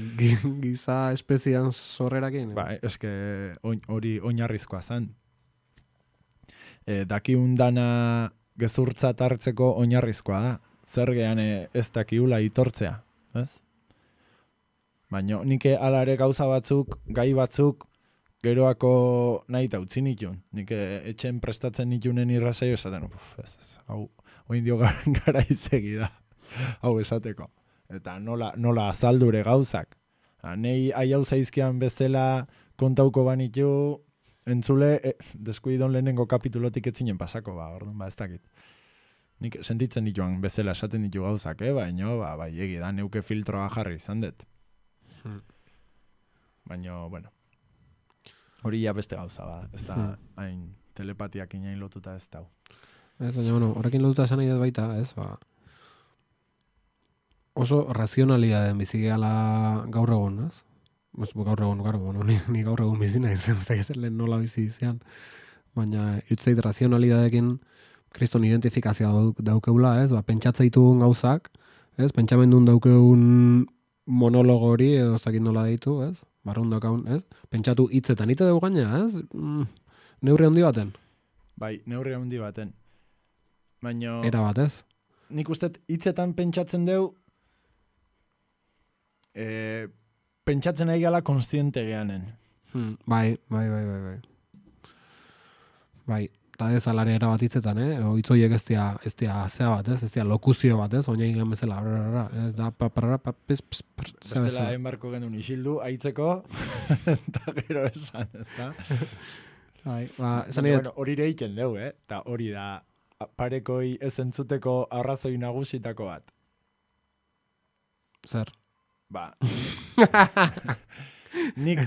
Giza espezian sorrerakin. Ba, eske hori oinarrizkoa zen. E, dakiun dana gezurtzat hartzeko oinarrizkoa da. Zer gehan ez dakiula itortzea, ez? Baina nike ala ere gauza batzuk, gai batzuk, geroako nahi eta utzi nituen. Nike etxen prestatzen nitunen irrazaio esaten, uf, ez, ez, hau, oin dio gara izegi da, hau esateko. Eta nola, nola azaldure gauzak. Nei aiau zaizkian bezala kontauko banitu, entzule, e, deskuidon lehenengo kapitulotik etzinen pasako, ba, orduan, ba, ez dakit. Nik sentitzen dituan bezala esaten ditu gauzak, eh? Baina, ba, bai, egi da, neuke filtroa jarri izan dut. Hmm. Baina, bueno, hori ja beste gauza, ba, ez da, hmm. hain telepatiak inain lotuta ez dau. Ez, baina, bueno, horrekin lotuta esan nahi dut baita, ez, ba, oso razionalidadeen bizigeala gaur egun, ez? Ez, gaur egun, gaur egun, ni, ni gaur egun bizina izan, ez da, lehen nola bizi izan, baina, irutzeit razionalidadekin, kriston identifikazioa daukeula, ez? Ba, pentsatza ditugun gauzak, ez? Pentsamendun daukeun monologo hori, edo ez dakit nola deitu, ez? Barrun daukaun, ez? Pentsatu hitzetan, ite dugu gaina, ez? Mm, neurri handi baten. Bai, neurri handi baten. Baina... Era bat, ez? Nik uste hitzetan pentsatzen deu, e, pentsatzen ari gala konstiente geanen. Hmm, bai, bai, bai, bai, bai. Bai. Eta ez alare erabat hitzetan, eh? O hitzoiek ez dia, ez dia zea bat, ez? Ez dia lokuzio bat, ez? Oina egin bezala, brarara, ez da, paparara, papis, pss, pss, bestela hain barko genuen isildu, aitzeko, eta gero esan, ez da? Bai, ba, esan nire... Bueno, hori reiken deu, eh? Eta hori da, parekoi ez entzuteko arrazoi nagusitako bat. Zer? Ba. Nik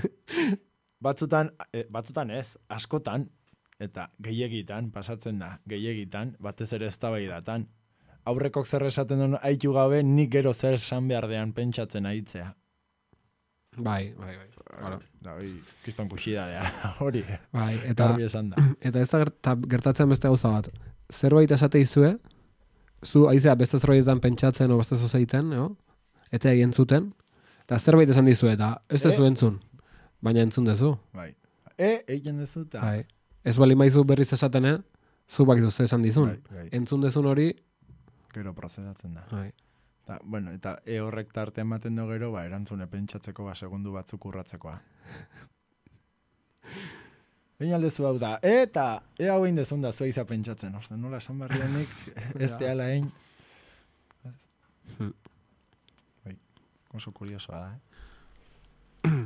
batzutan, eh, batzutan ez, askotan, eta gehiagitan, pasatzen da, gehiagitan, batez ere eztabaidatan. Aurrekok zer esaten duen haitu gabe, nik gero zer esan behardean pentsatzen aitzea. Bai, bai, bai. Claro. Da, hori, kiston kuxidadea, hori. Bai, eta, da. Eta ez da gertatzen beste gauza bat. Zerbait esate izue, zu aizea beste zerbaitetan pentsatzen o beste zuzeiten, no? Eta egin zuten, eta zerbait esan dizue, eta ez dezu e? entzun, baina entzun dezu. Bai. E, egin dezu, eta... Bai. Ez bali maizu berriz esaten, eh? Zu bakizu ze esan dizun. Bai, bai. Entzun dezun hori... Gero prozeratzen da. Bai. Ta, bueno, eta e horrek tarte ematen do gero, ba, erantzune pentsatzeko, ba, segundu batzuk urratzekoa. Baina aldezu hau da, eta e hau egin dezun da, zua iza pentsatzen. Osta, nola esan barrionik, ez teala egin. Bai, oso kuriosoa da, eh?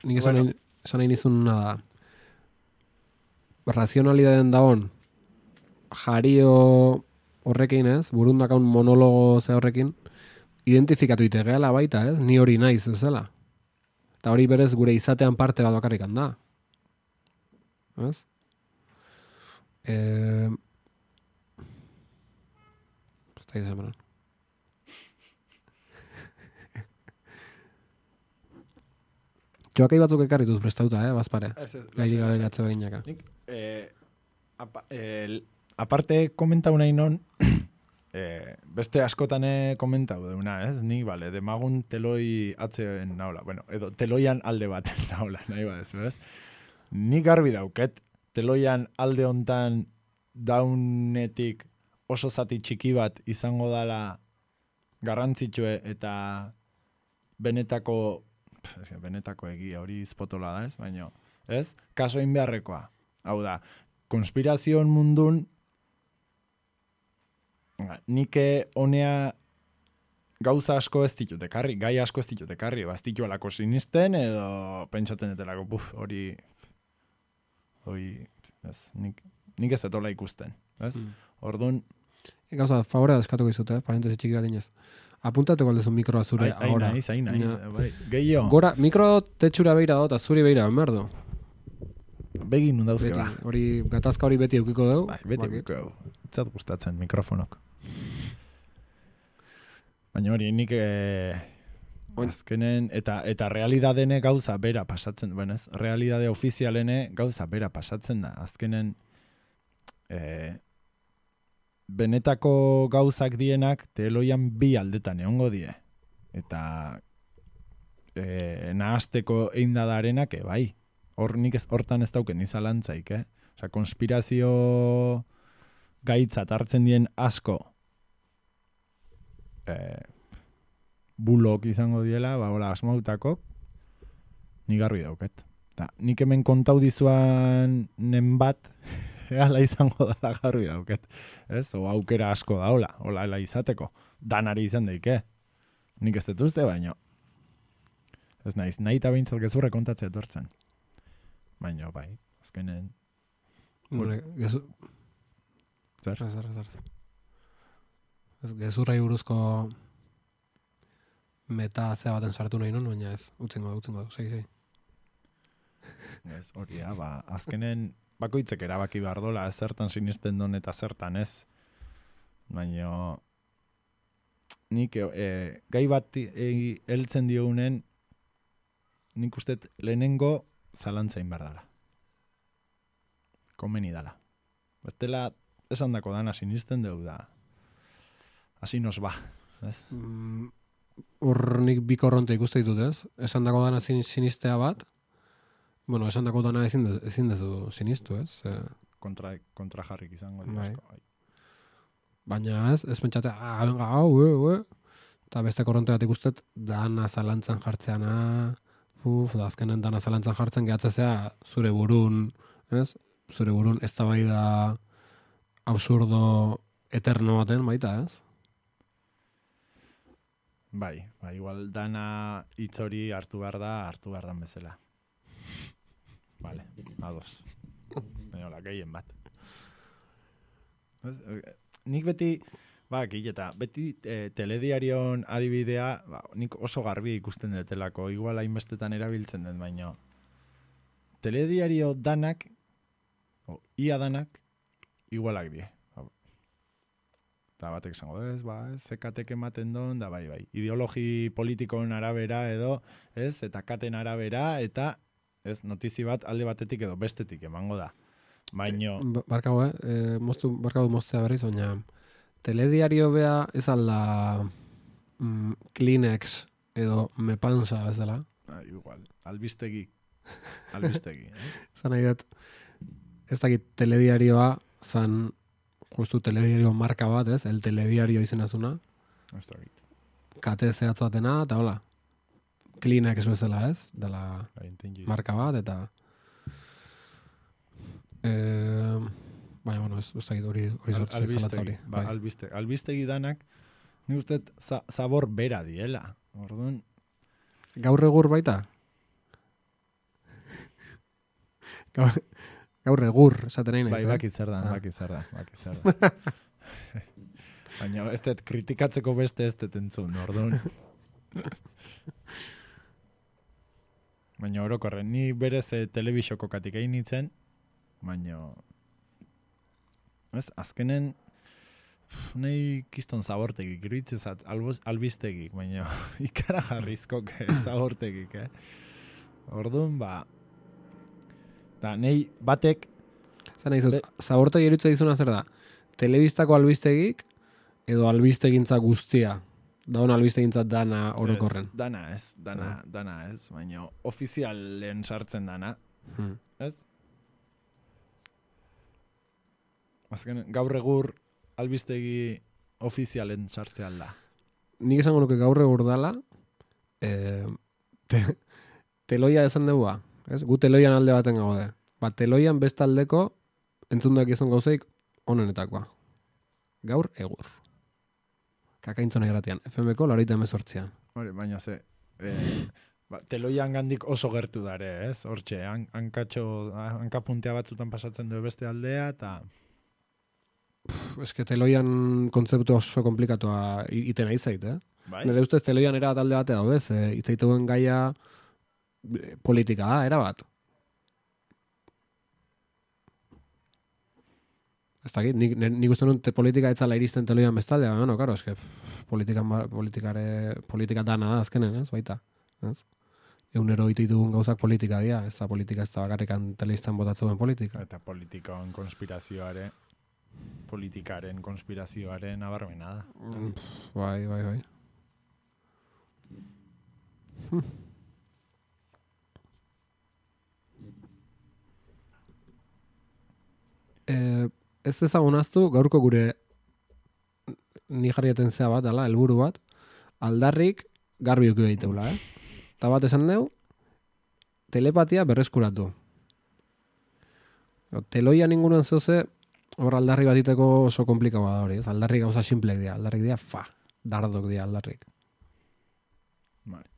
Nik esan bueno. Nahi nizun nada... razionalidaden daon jario horrekin, ez? Burundakaun monologo ze horrekin, identifikatu itegeala baita, ez? Ni hori naiz, ez dela. Eta hori berez gure izatean parte bat bakarrik handa. Ez? Eh... Ez da izan beran. Joakai batzuk ekarrituz prestauta, eh, bazpare. Gairi gabe gatze beginaka. Nik, eh, apa, eh, aparte komentau nahi non, eh, beste askotane komentau deuna, ez? Ni, bale, demagun teloi atzeen naula. Bueno, edo teloian alde baten naula, nahi badezu, ez? Nik garbi dauket, teloian alde hontan daunetik oso zati txiki bat izango dala garrantzitsue eta benetako benetako egia hori izpotola da, ez? Baina, ez? Kaso egin beharrekoa. Hau da, konspirazioen mundun nike honea gauza asko ez ditut ekarri, gai asko ez ditut ekarri, ba, ez ditu alako sinisten edo pentsaten etelako, buf, hori hori, ez, nik, nik ez detola ikusten, ez? Mm. Orduan, gauza, favorea deskatuko izute, eh? Parentesi txiki bat inez. Apuntateko aldezu mikroa zure ai, ahora. Ai, nahi, nahi, bai. Gehiago. Gora, mikro tetxura beira dut, azuri beira, merdo. Begin nun dauzke, ba. Hori, gatazka hori beti eukiko dugu. Bai, beti eukiko dugu. Itzat gustatzen mikrofonok. Baina hori, nik eh, azkenen, eta, eta realidadene gauza bera pasatzen, bueno ez, realidade ofizialene gauza bera pasatzen da. Azkenen, eh, benetako gauzak dienak teloian bi aldetan egongo die. Eta e, nahasteko eindadarenak, e, bai. Hor nik ez, hortan ez dauken izalantzaik, eh? Osa, konspirazio gaitzat hartzen dien asko e, bulok izango diela, ba, hola, asmautakok, nik garbi dauket. Ta, nik hemen kontau dizuan nen bat, ala izango dala garbi dauket. Ez? O aukera asko da, hola, hola, hola izateko. Danari izan daike. Nik ez detuzte, baino. Ez naiz, nahi eta behintzat gezurre kontatzea etortzen. Baina, bai, azkenen... Gezu... Zer? Zer, zer, zer. Gezurrai buruzko meta zea baten sartu nahi non, baina ez, utzingo, utzingo, segi, segi. Ez, hori, ja, ba, azkenen bakoitzek erabaki behar dola, ez zertan sinisten don eta zertan ez. Baina nik e, gai bat e, heltzen diogunen nik uste lehenengo zalantzain behar dala. Komeni dala. Bestela esan dako dana sinisten dugu da. Asi nos ba. Ez? Mm, Hor nik bi korronte ikuste ditut, ez? Esan dako dana sinistea bat, bueno, esan dako dana ezin, de, ezin dezu sinistu, ez? E... Kontra, kontra jarrik izango. Bai. Asko, baina ez, ez pentsate, ah, venga, hau, e, e. Eta beste korronte bat ikustet, dana zalantzan jartzeana, uf, da azkenen dana zalantzan jartzen gehatzezea zure burun, ez? Zure burun ez da bai da absurdo eterno baten, baita, ez? Bai, bai, igual dana hitz hori hartu behar da, hartu behar dan bezala. Vale, ados. Baina, hola, gehien bat. Ez, nik beti, ba, eta beti e, telediarion adibidea, ba, nik oso garbi ikusten detelako, igual hainbestetan erabiltzen den, baina telediario danak, o, ia danak, igualak die. Eta batek esango, ez, ba, ez, zekatek ematen don, da bai, bai, ideologi politikoen arabera edo, ez, eta katen arabera, eta, ez, notizi bat alde batetik edo bestetik emango da. Baino... Barkago, eh? E, moztu, barkago moztea berriz, baina telediario bea ez alda mm, Kleenex edo Mepansa ez dela. Ah, igual, albistegi. Albistegi. Eh? Zan nahi dut, ez dakit telediarioa, zan justu telediario marka bat, ez? El telediario izenazuna. Ez dakit. Kate zehatz batena, eta hola. Kleenex bezala, ez? Dela marka bat, eta... Eh, baina, bueno, ez, ez dakit hori sortu Al, albistegi, ba, bai. albiste, albistegi danak, ni uste za, zabor bera diela. Orduan... Gaur egur baita? Gaur, Gaur egur, esaten nahi naiz. Bai, eh? bakit zer da, Ah. bakit zer da, bakit zer da. Baina ez dut kritikatzeko beste ez dut entzun, orduan. Baina orokorren, ni berez eh, telebisoko katik egin nintzen, baina ez, azkenen nahi kiston zabortegik, iruditzezat albistegik, baina ikara jarrizkok zabortegik, eh? Orduan, ba, da, nahi batek, Zan nahi zut, zabortegi erutza dizuna zer da? Telebistako albistegik edo albistegintza guztia. Daun albistegintza dana orokorren. ez, dana ez, dana, Ah. dana ez, baina ofizialen sartzen dana, Hmm. ez? Azken, gaur egur albistegi ofizialen sartzea da. Nik esango nuke gaur egur dala, eh, te, teloia esan degua, ez? Gu teloian alde baten gaude. Ba, teloian bestaldeko entzundak izan gauzeik onenetakoa. Gaur egur. Kakaintzona irratian, F M-ko laurogeita hemezortzian. Hori, baina ze, eh, ba, teloian gandik oso gertu dare, ez? Hortxe, han, hankatxo, hankapuntea batzutan pasatzen du beste aldea, eta Ez que teloian kontzeptu oso komplikatua i- iten nahi zait, eh? bai? Nire ustez teloian era bat alde bate daude, ze itzaituen gaia eh, politika da, era bat. Ez dakit, nik, nik uste nun te politika etzala iristen teloian bestaldea, baina, bueno, karo, eske, politikan, ba- politikare, politika dana da azkenen, ez, baita. Ez? Egunero ito ditugun gauzak politika dira, ez da politika ez da bakarrikan telebistan botatzen politika. Eta politikoan konspirazioare, politikaren konspirazioaren abarmena da. Mm, pff, Bai, bai, bai. Hm. Eh, ez ezagun aztu, gaurko gure ni jarrieten zea bat, ala, helburu bat, aldarrik garbi uki behiteula, eh? Eta bat esan deu, telepatia berreskuratu. Teloia ningunen zeuze, hor aldarri batiteko oso komplikaua da hori, ez? Aldarrik gauza simplek dira, aldarrik dira, fa, dardok dira aldarrik. Vale.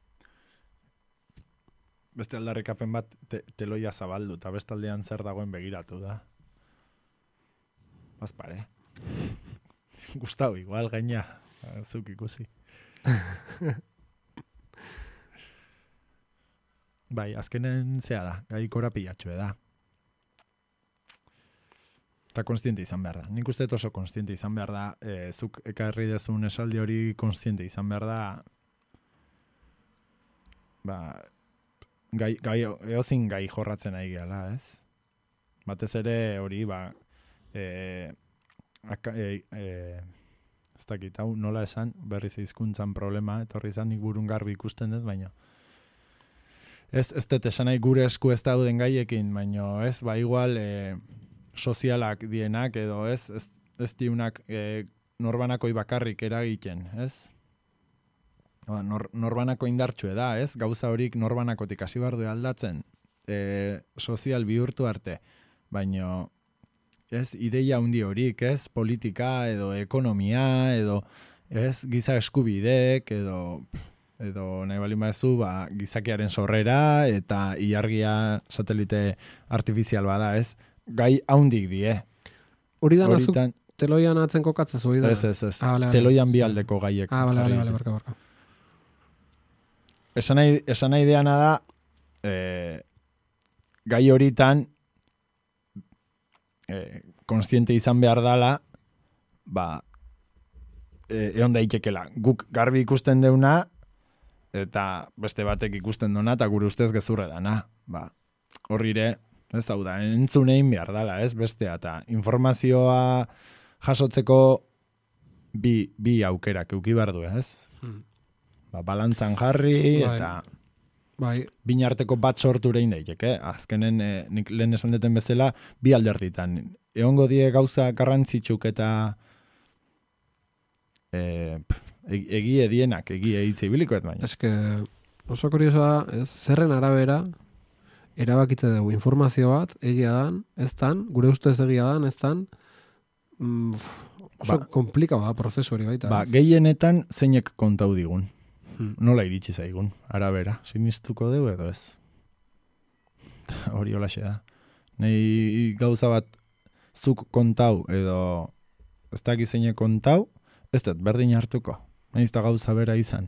Beste aldarrikapen bat te, teloia zabaldu, eta bestaldean zer dagoen begiratu da. Bazpare. Gustau, igual gaina, zuk ikusi. Bai, azkenen zea da, gai korapilatxue da. Eta konstiente izan behar da. Nik uste dut oso konstiente izan behar da, e, zuk ekarri dezun esaldi hori konstiente izan behar da, ba, gai, gai, eozin gai jorratzen ari gehala, ez? Batez ere hori, ba, e, aka, e, e, ez dakit, hau nola esan, berriz hizkuntzan problema, etorri izan nik burun garbi ikusten dut, baina ez, ez dut esan nahi gure esku ez dauden gaiekin, baina ez, ba, igual, e, sozialak dienak, edo ez, ez, ez diunak e, norbanakoi bakarrik eragiten, ez? Nor, norbanako indartxue da, ez? Gauza horik norbanakotik hasi behar du aldatzen, e, sozial bihurtu arte, baina ez, ideia handi horik, ez? Politika, edo ekonomia, edo ez, giza eskubideek, edo edo nahi bali maezu, ba, gizakiaren sorrera, eta ilargia satelite artifizial bada, ez? Gai haundik die. Hori da nazuk Horitan, teloian atzen kokatzez hori da? ez, ez, ez. Ah, vale, vale. Teloian bi aldeko gaiek. Ah, bale, bale, jarri bale, ditut. barka, barka. Esan nahi, esan nahi deana da, eh, gai horitan eh, konstiente izan behar dala, ba, eh, egon daitekela. Guk garbi ikusten deuna, eta beste batek ikusten duna, eta gure ustez gezurre dana. Ba, horrire, ez hau da, entzun egin behar dala, ez bestea, eta informazioa jasotzeko bi, bi aukerak euki behar du, ez? Hmm. Ba, balantzan jarri, Bai. eta Bai, binarteko bat sortu egin daiteke. Azkenen, eh, nik lehen esan deten bezala, bi alderditan. Egongo die gauza garrantzitsuk eta eh, pf, eg- egie dienak, egie hitz ibilikoet baina. eske oso kuriosoa, ez, zerren arabera erabakitze dugu informazio bat, egia dan, ez dan, gure ustez egia dan, ez dan, mm, oso Ba- komplikau da prozesu hori baita. Ba, ez? gehienetan zeinek kontau digun. Hmm. Nola iritsi zaigun, arabera. Sinistuko dugu edo ez. Hori holaxe da. Nei gauza bat zuk kontau edo ez dakiz zeine kontau, ez dut berdin hartuko. Nahiz eta gauza bera izan.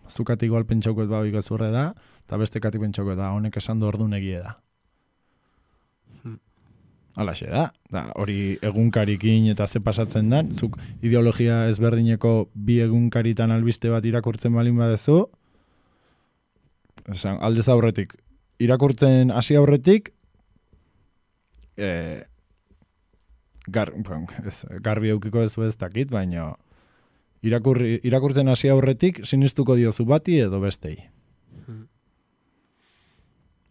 Zukatik igual pentsauko ba gezurre da, eta beste katik pentsauko da, honek esan du ordu negie da. Hmm. Alaxe da, da, hori egunkarikin eta ze pasatzen dan, zuk ideologia ezberdineko bi egunkaritan albiste bat irakurtzen balin badezu, esan, aldez aurretik, irakurtzen hasi aurretik, e, gar, bon, ez, garbi eukiko ez ez dakit, baina irakurri, irakurtzen hasi aurretik sinistuko diozu bati edo bestei. Hmm.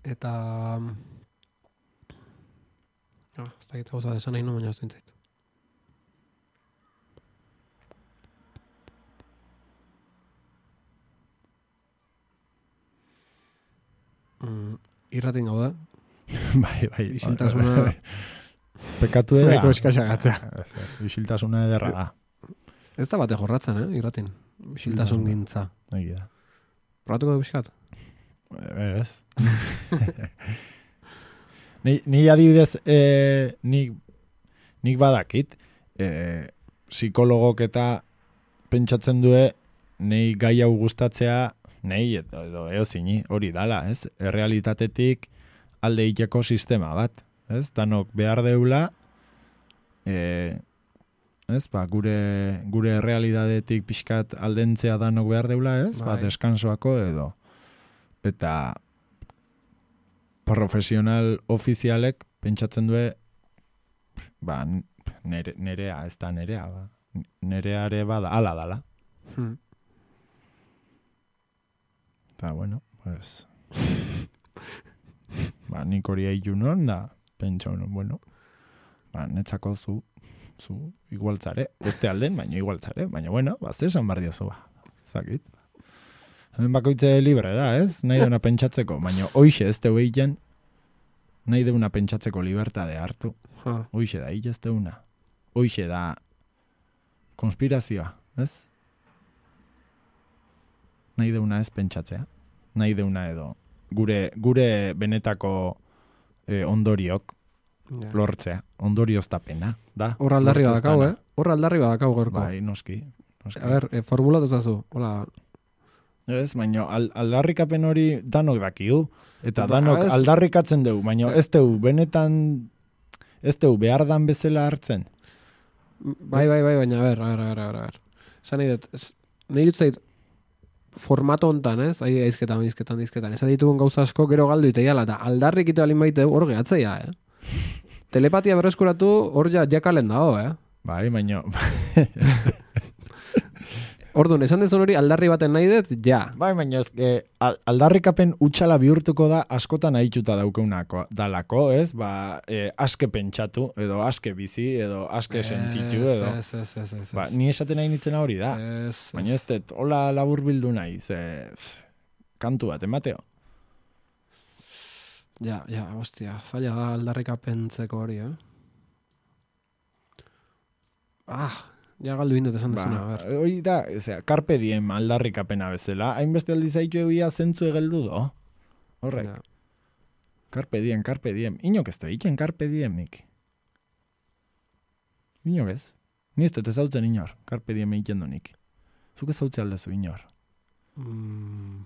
Eta... No, ez da gita gauza desan nahi no, baina ez dintzait. Mm, irratin gau da. bai, bai. Isiltasuna... Pekatu eda. Eko eskaxagatzea. Ez, ez, isiltasuna ederra da. Ez da bate jorratzen, eh, irratin. Isiltasun gintza. Egi da. Probatuko du pixkat? Ez. Ni, ni adibidez, eh, nik, nik badakit, eh, psikologok eta pentsatzen due, nei gai hau gustatzea, nei edo, edo eozini, hori dala, ez? Errealitatetik alde iteko sistema bat, ez? Danok behar deula, eh, ez? Ba, gure, gure errealitatetik pixkat aldentzea danok behar deula, ez? Bai. Ba, deskansoako edo. Eta profesional ofizialek pentsatzen due ba, nere, nerea, ez da nerea, ba. Nereare bada, ala dala. Hmm. Eta, bueno, pues... ba, nik hori eilu non, da, pentsa, bueno, ba, netzako zu, zu igualtzare, beste alden, baina igualtzare, baina, bueno, ba, zesan bar diozu, ba, zakit. Hemen bakoitze libre da, ez? Nahi deuna pentsatzeko, baina hoixe ez teu egiten, nahi deuna pentsatzeko libertade hartu. Ha. Hoixe da, hile ez deuna. Hoixe da konspirazioa, ez? Nahi deuna ez pentsatzea. Nahi deuna edo gure, gure benetako eh, ondoriok Ja. lortzea. Ondorioztapena, da. Hor aldarri Lortzeztana. badakau, eh? Hor aldarri badakau gorko. Bai, noski. noski. A ber, eh, formulatu zazu. Hola, Ez, baina al, aldarrikapen hori danok dakiu. Eta Ba, danok ez- aldarrikatzen dugu, baina ez dugu benetan, ez dugu behar dan bezala hartzen. bai, bai, bai, baina, a ber, a ber, a ber, a ber, a ber. Zan nahi dut, ez- nahi dut zait, formato hontan, ez? Ai, aizketan, aizketan, aizketan. Ez ditugun gauza asko gero galdu iteiala, eta aldarrik ite balin baiteu hor gehatzeia, eh? Telepatia berreskuratu hor ja jakalen dago, eh? Bai, baina... Orduan, esan dezun hori aldarri baten nahi dut, ja. bai, baina ez, eh, al- aldarrikapen utxala bihurtuko da askotan ahitxuta daukeunako dalako, ez? Ba, eh, aske pentsatu, edo aske bizi, edo aske sentitu, edo... Ez, ez, ez, ez, ez. Ba, ni esaten nahi nitzena hori da. Ez, ez. Baina ez dut, hola labur bildu nahi, ze... pff, kantu bat, emateo. Ja, ja, hostia, zaila da aldarrikapentzeko hori, eh? Ah, ja galdu indut esan Ba, dezuna, a ber. hori da, ezea, carpe diem aldarrikapena bezala, hainbeste aldiz haitu egia zentzu egeldu do. Horrek, Ja. carpe diem, carpe diem. Inok ez da, iken carpe diemik. Inok ez. Ni ez dut ezautzen inor, carpe diem iken donik. Zuk ezautze aldezu inor. Mm,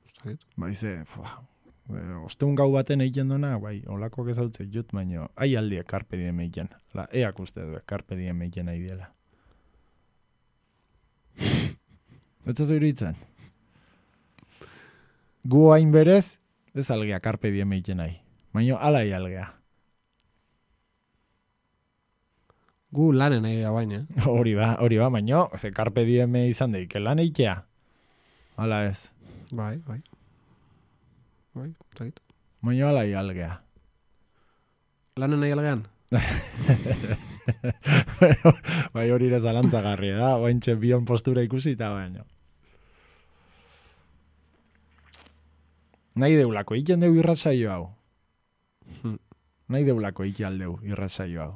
ez dakit. Ba, ize, fua, e, osteun gau baten egiten dona, bai, olakoak ezautze jut, baino, ai aldie carpe diem eiken. La, eak uste du, carpe diem eiken nahi diela. Ez ez iruditzen. Gu hain berez, ez algea carpe diem eiken nahi. Baina, alai algea. Gu lanen nahi gara baina, eh? Hori ba, hori ba, baina, ze carpe diem izan daik, lan eitea. Ala ez. Bai, bai. Bai, ez dakit. Baina, alai algea. Lanen nahi algean? Bueno, bai hori ere zalantzagarria da, oaintxe bion postura ikusita baino. Nahi deulako, iken deu irratsaio hau. Hmm. Nahi deulako iki aldeu irratsaio hau.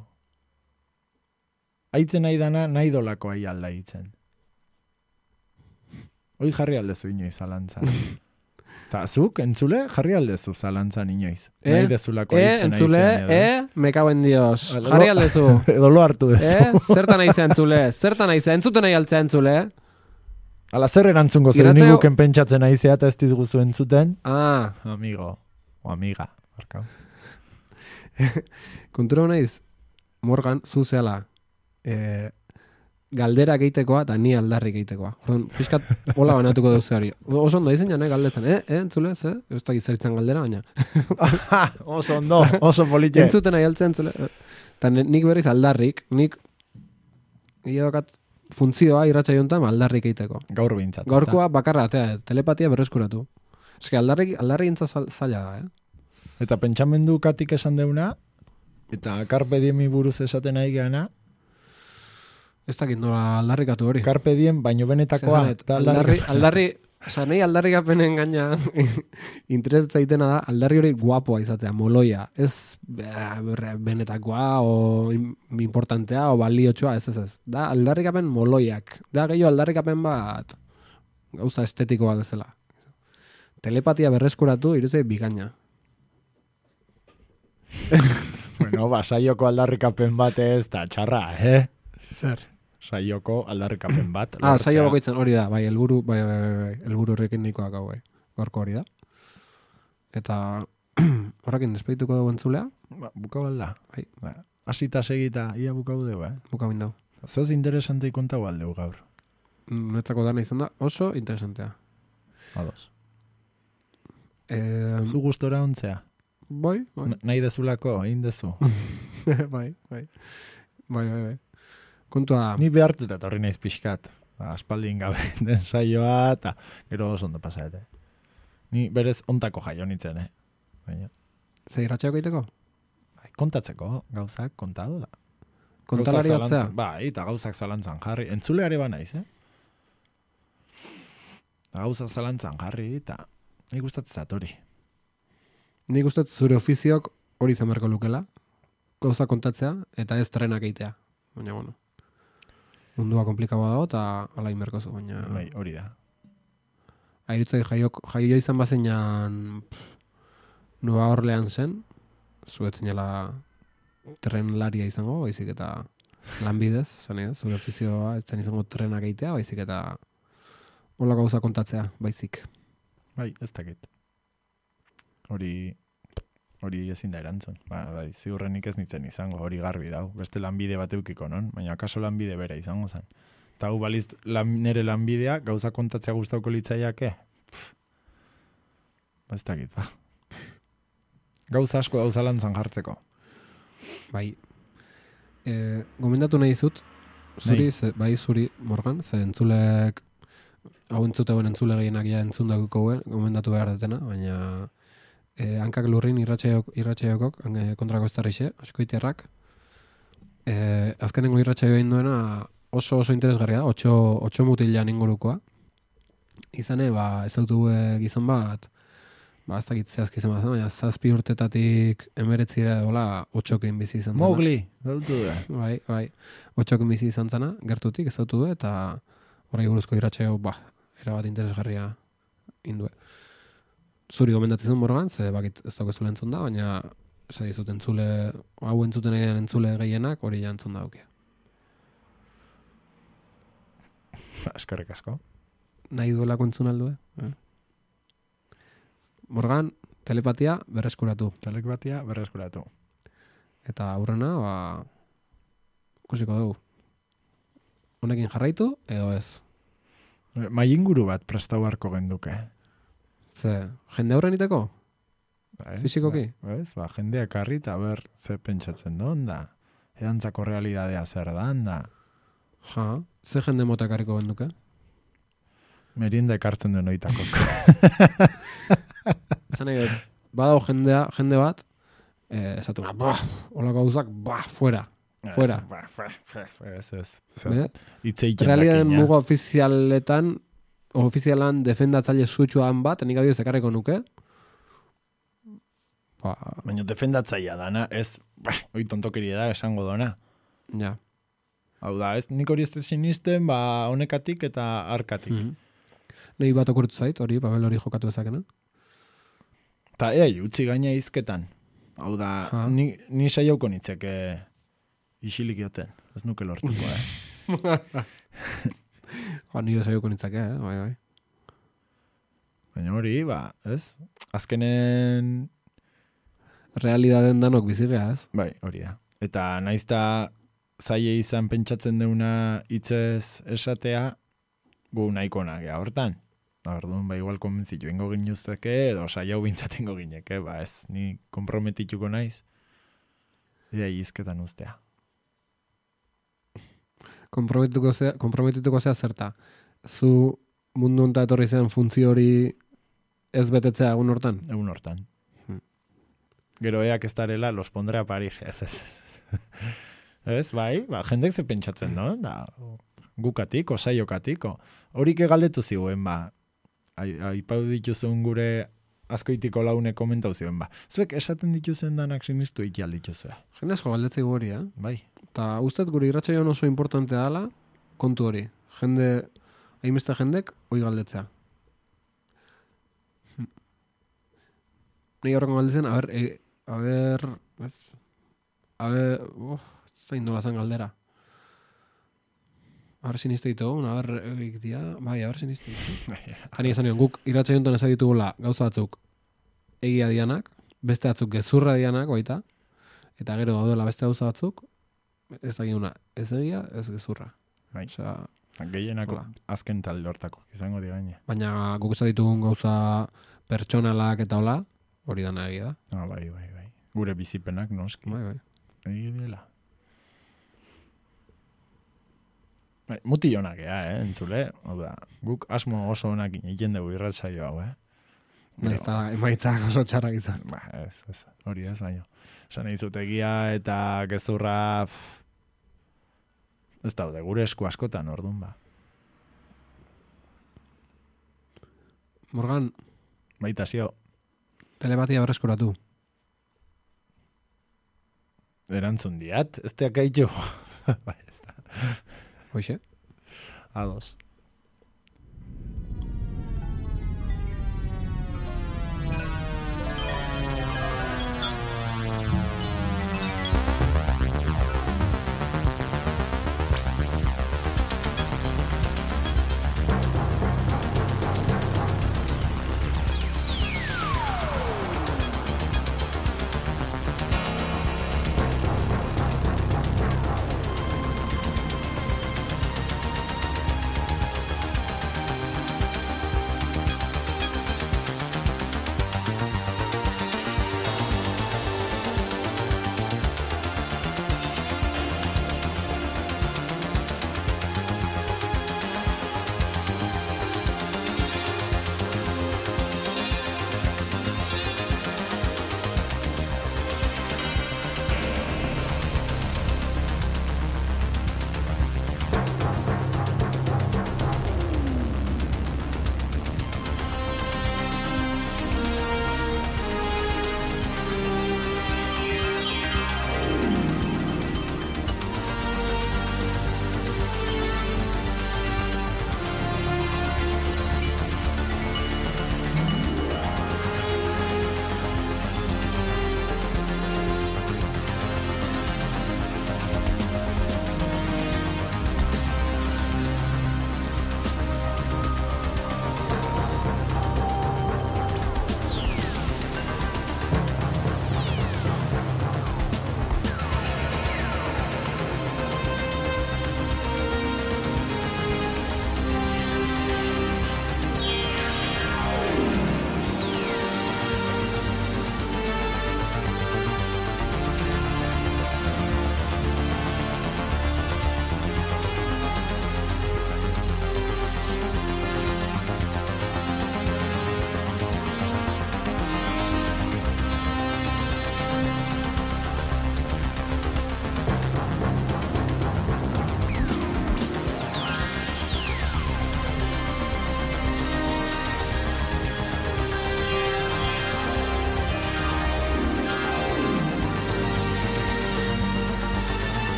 Aitzen nahi dana, nahi dolako ai alda itzen. Hoi jarri aldezu inoiz zalantza. Ta zuk, entzule, jarri aldezu zalantzan inoiz. Eh? Nahi dezulako E, aritzen entzule, naizean edo, ez? e, me cago en Dios. Edo- Jarri aldezu. Edo lo hartu dezu. E, zertan nahi entzule, zertan nahi entzuten nahi altzea entzule. Ala zer erantzungo zer Irratsaio- niguken pentsatzen aizea eta ez dizguzu entzuten. Ah, Amigo, o amiga. Barkau. kontura naiz, Morgan, zu zehala, e, galdera geitekoa eta ni aldarrik geitekoa. Orduan, pixkat, hola banatuko duzu hori. Oso ondo izan jane, galdetzen, eh, eh, entzule, ze? Ez da gizaritzen galdera, baina. Oso ondo, oso politxe. Entzuten nahi altzea entzule. Eta nik berriz aldarrik, nik gehiagokat funtzioa irratsaio honetan aldarrik egiteko. Gaur bintzat. Gaurkoa bakarra atea, telepatia berreskuratu. Eske aldarrik, aldarrik intza zaila da, eh? Eta pentsamendu katik esan deuna, eta carpe diemi buruz esaten nahi geana, Ez dakit nola aldarrikatu hori. carpe diem baino benetakoa. Eske, eta aldarri, aldarrik- aldarri, oza, nahi aldarrikapenen gaina interesat zaitena da, aldarri hori guapoa izatea, moloia. Ez eh, benetakoa, o im- importantea, o baliotxoa, ez ez ez. Da aldarrikapen moloiak. Da gehiago aldarrikapen bat gauza estetikoa bezala. Telepatia berreskuratu, iruzei bikaina. Bueno, ba, saioko aldarrikapen bat ez, eta txarra, eh? Zer? Saioko aldarrikapen bat. Ah, lortzea. saio bakoitzen hori da, bai, helburu, bai, bai, bai, bai, helburu horrekin nikoak hau, bai. Gorko hori da. Eta horrekin despedituko dugu entzulea, Ba, bukau alda. Bai. Ba, asita segita, ia bukau dugu, eh? buka bindau. Zoz interesante kontau aldeu gaur. Netzako dana izan da, oso interesantea. Ados. Eh, Zu gustora ontzea. bai, bai, N- Nahi dezulako, egin dezu. bai, bai, bai, bai, bai. Kontua, Ni behartuta etorri naiz pixkat. Ba, aspaldin gabe den saioa, eta gero oso ondo pasaete. Ni berez ontako jaio nintzen, eh? Baina, ze irratxeako egiteko? bai, kontatzeko, gauzak kontatu da. Kontalari Gauzak batzea? zalantzan- Bai, eta gauzak zalantzan jarri. Entzuleare ba naiz, eh? Eta gauzak zalantzan jarri, eta nik gustatzen zat hori. Nik uste dut zure ofiziok hori izan beharko lukela, gauza kontatzea, eta ez trenak egitea. Baina, bueno, mundua komplikaua dago, eta ala inberko zu, baina... Bai, hori da. Airitzai jaiok, jaio izan bazenan Nueva Orleans zen, zuetzinela trenlaria izango, baizik eta lanbidez, zan ez, zure ofizioa, etzen izango trenak egitea, baizik eta hola gauza kontatzea, baizik. Bai, ez dakit. Hori hori ezin da erantzun. Ba, bai, ziurrenik ez nitzen izango, hori garbi dau. Beste lanbide bat eukiko, non? Baina akaso lanbide bera izango zen. Eta hau baliz lan, nere lanbidea gauza kontatzea gustauko litzaiake. Pff. Ba, ez dakit, ba. Gauza asko gauza lantzan jartzeko. Bai, e, gomendatu nahi zut, zuri, Nahi. ze, bai zuri, Morgan, ze entzulek, hau entzuteuen entzule gehienak ja entzun dakuko gomendatu behar detena, baina e, hankak lurrin irratxaiok, irratxaiokok, e, kontrako ez tarrixe, askoitiarrak, e, azkenengo irratxaio egin duena oso oso interesgarria da, otxo, otxo mutilan ingurukoa, izane, ba, ez dut gizon bat, ba, ez dakit zehazki izan bat, baina zazpi urtetatik emeretzira dola otxokin bizi izan zana. Mowgli, dautu da. Bai, bai, otxokin bizi izan zana, gertutik ez dautu du, eta horrei buruzko irratxeo, ba, erabat interesgarria indue. Zuri gomendatzen Morgan, ze bakit ez daukezule entzun da, baina ez dizut entzule, hau entzuten egin entzule gehienak, hori ja entzun da aukia. Eskerrik asko. Nahi duelako entzun aldue? Eh? Morgan, telepatia berreskuratu. Telepatia berreskuratu. Eta aurrena, ba, ikusiko dugu. Honekin jarraitu, edo ez. Mai inguru bat prestau harko genduke. Ze, jende aurren iteko? Ba, ez, Fisikoki? Ba, ez, ba, jendeak harri eta ber ze pentsatzen duen da. Edantzako realidadea zer dan da. Ja, ze jende mota ekarriko genduke? Merienda ekartzen duen oitako. Esan nahi dut, badao jendea, jende bat, eh, esatu na, bah, hola gauzak, bah, fuera. Fuera. Ez, ba, ba, ba, ez, ez. Be? Itzeiken Realitatean dakina. muga ofizialetan, ofizialan defendatzaile sutsuan bat, nik adioz ekarriko nuke. Ba, Baina defendatzaia dana, ez, ba, oi tontokeria da esango dona. ja. Hau da, ez, nik hori ez da sinisten, ba, honekatik eta arkatik. Mm. Nei bat okurtu zait, hori, Babel hori jokatu ezakena. Ta ea, utzi gaina izketan. Hau da, Ha. ni, ni saiauko nitzeke isilik joten. Ez nuke lortuko, eh? Ja, nire saioko nintzake, eh? Bai, bai. Baina hori, ba, ez? Azkenen, Realidaden danok bizigea, ez? bai, hori da. Eta naizta zaie izan pentsatzen deuna hitzez esatea, gu nahiko nagea hortan. Orduan, ba, igual konbentzitu ingo ginuzteke, edo saiau bintzatengo gineke, ba, ez, ni komprometituko naiz, ea izketan ustea. Komprometituko zea, komprometituko zea zerta. Zu mundu honta etorri zen funtzio hori ez betetzea egun hortan? Egun hortan. Hmm. Gero eak ez darela, los pondre a parir. Ez, ez, ez. Ez, bai, ba, jendek ze pentsatzen, no? Da, gukatiko, saiokatiko. Horik egaldetu ziguen, ba, aipau dituzun gure askoitiko laune komentau zioen, ba. Zuek esaten dituzen danak sinistu ikial dituzue. Jende asko galdetzei hori, eh? Bai. Eta ustet gure irratsaioan oso importantea dela kontu hori. Jende, hainbeste jendek, hoi galdetzea. Hm. Nei horrengo galdetzen, a ber, e, a ber, ez? A ber, oh, zain dola zen galdera. A ber, siniste ditugu, a ber, egik dia, bai, a ber, siniste ditugu. Hani esan nion, guk irratsaio honetan ez ditugula gauza batzuk egia dianak, beste batzuk gezurra dianak, baita, eta gero daudela beste gauza batzuk, ez dakiuna, ez egia, ez gezurra. Bai. Osea, Gehienako Hola. azken talde hortako, izango di gaine. baina guk ez ditugun gauza pertsonalak eta hola, hori dana egia da. Ah, bai, bai, bai. Gure bizipenak noski. Bai, bai. Egi dela. Bai, muti honak ea, eh, entzule. Hau da, guk asmo oso honak egiten dugu irratsaio hau, eh. Naiz eta emaitzak oso txarrak izan. Ba, ez, ez, hori ez, baino. Esan egizutegia eta gezurra, pff, ez daude, gure esku askotan, orduan, ba. Morgan, Baita zio, telepatia berreskuratu. erantzun diat, ez teak gaitu. Bai, ez da. Hoxe? Ados.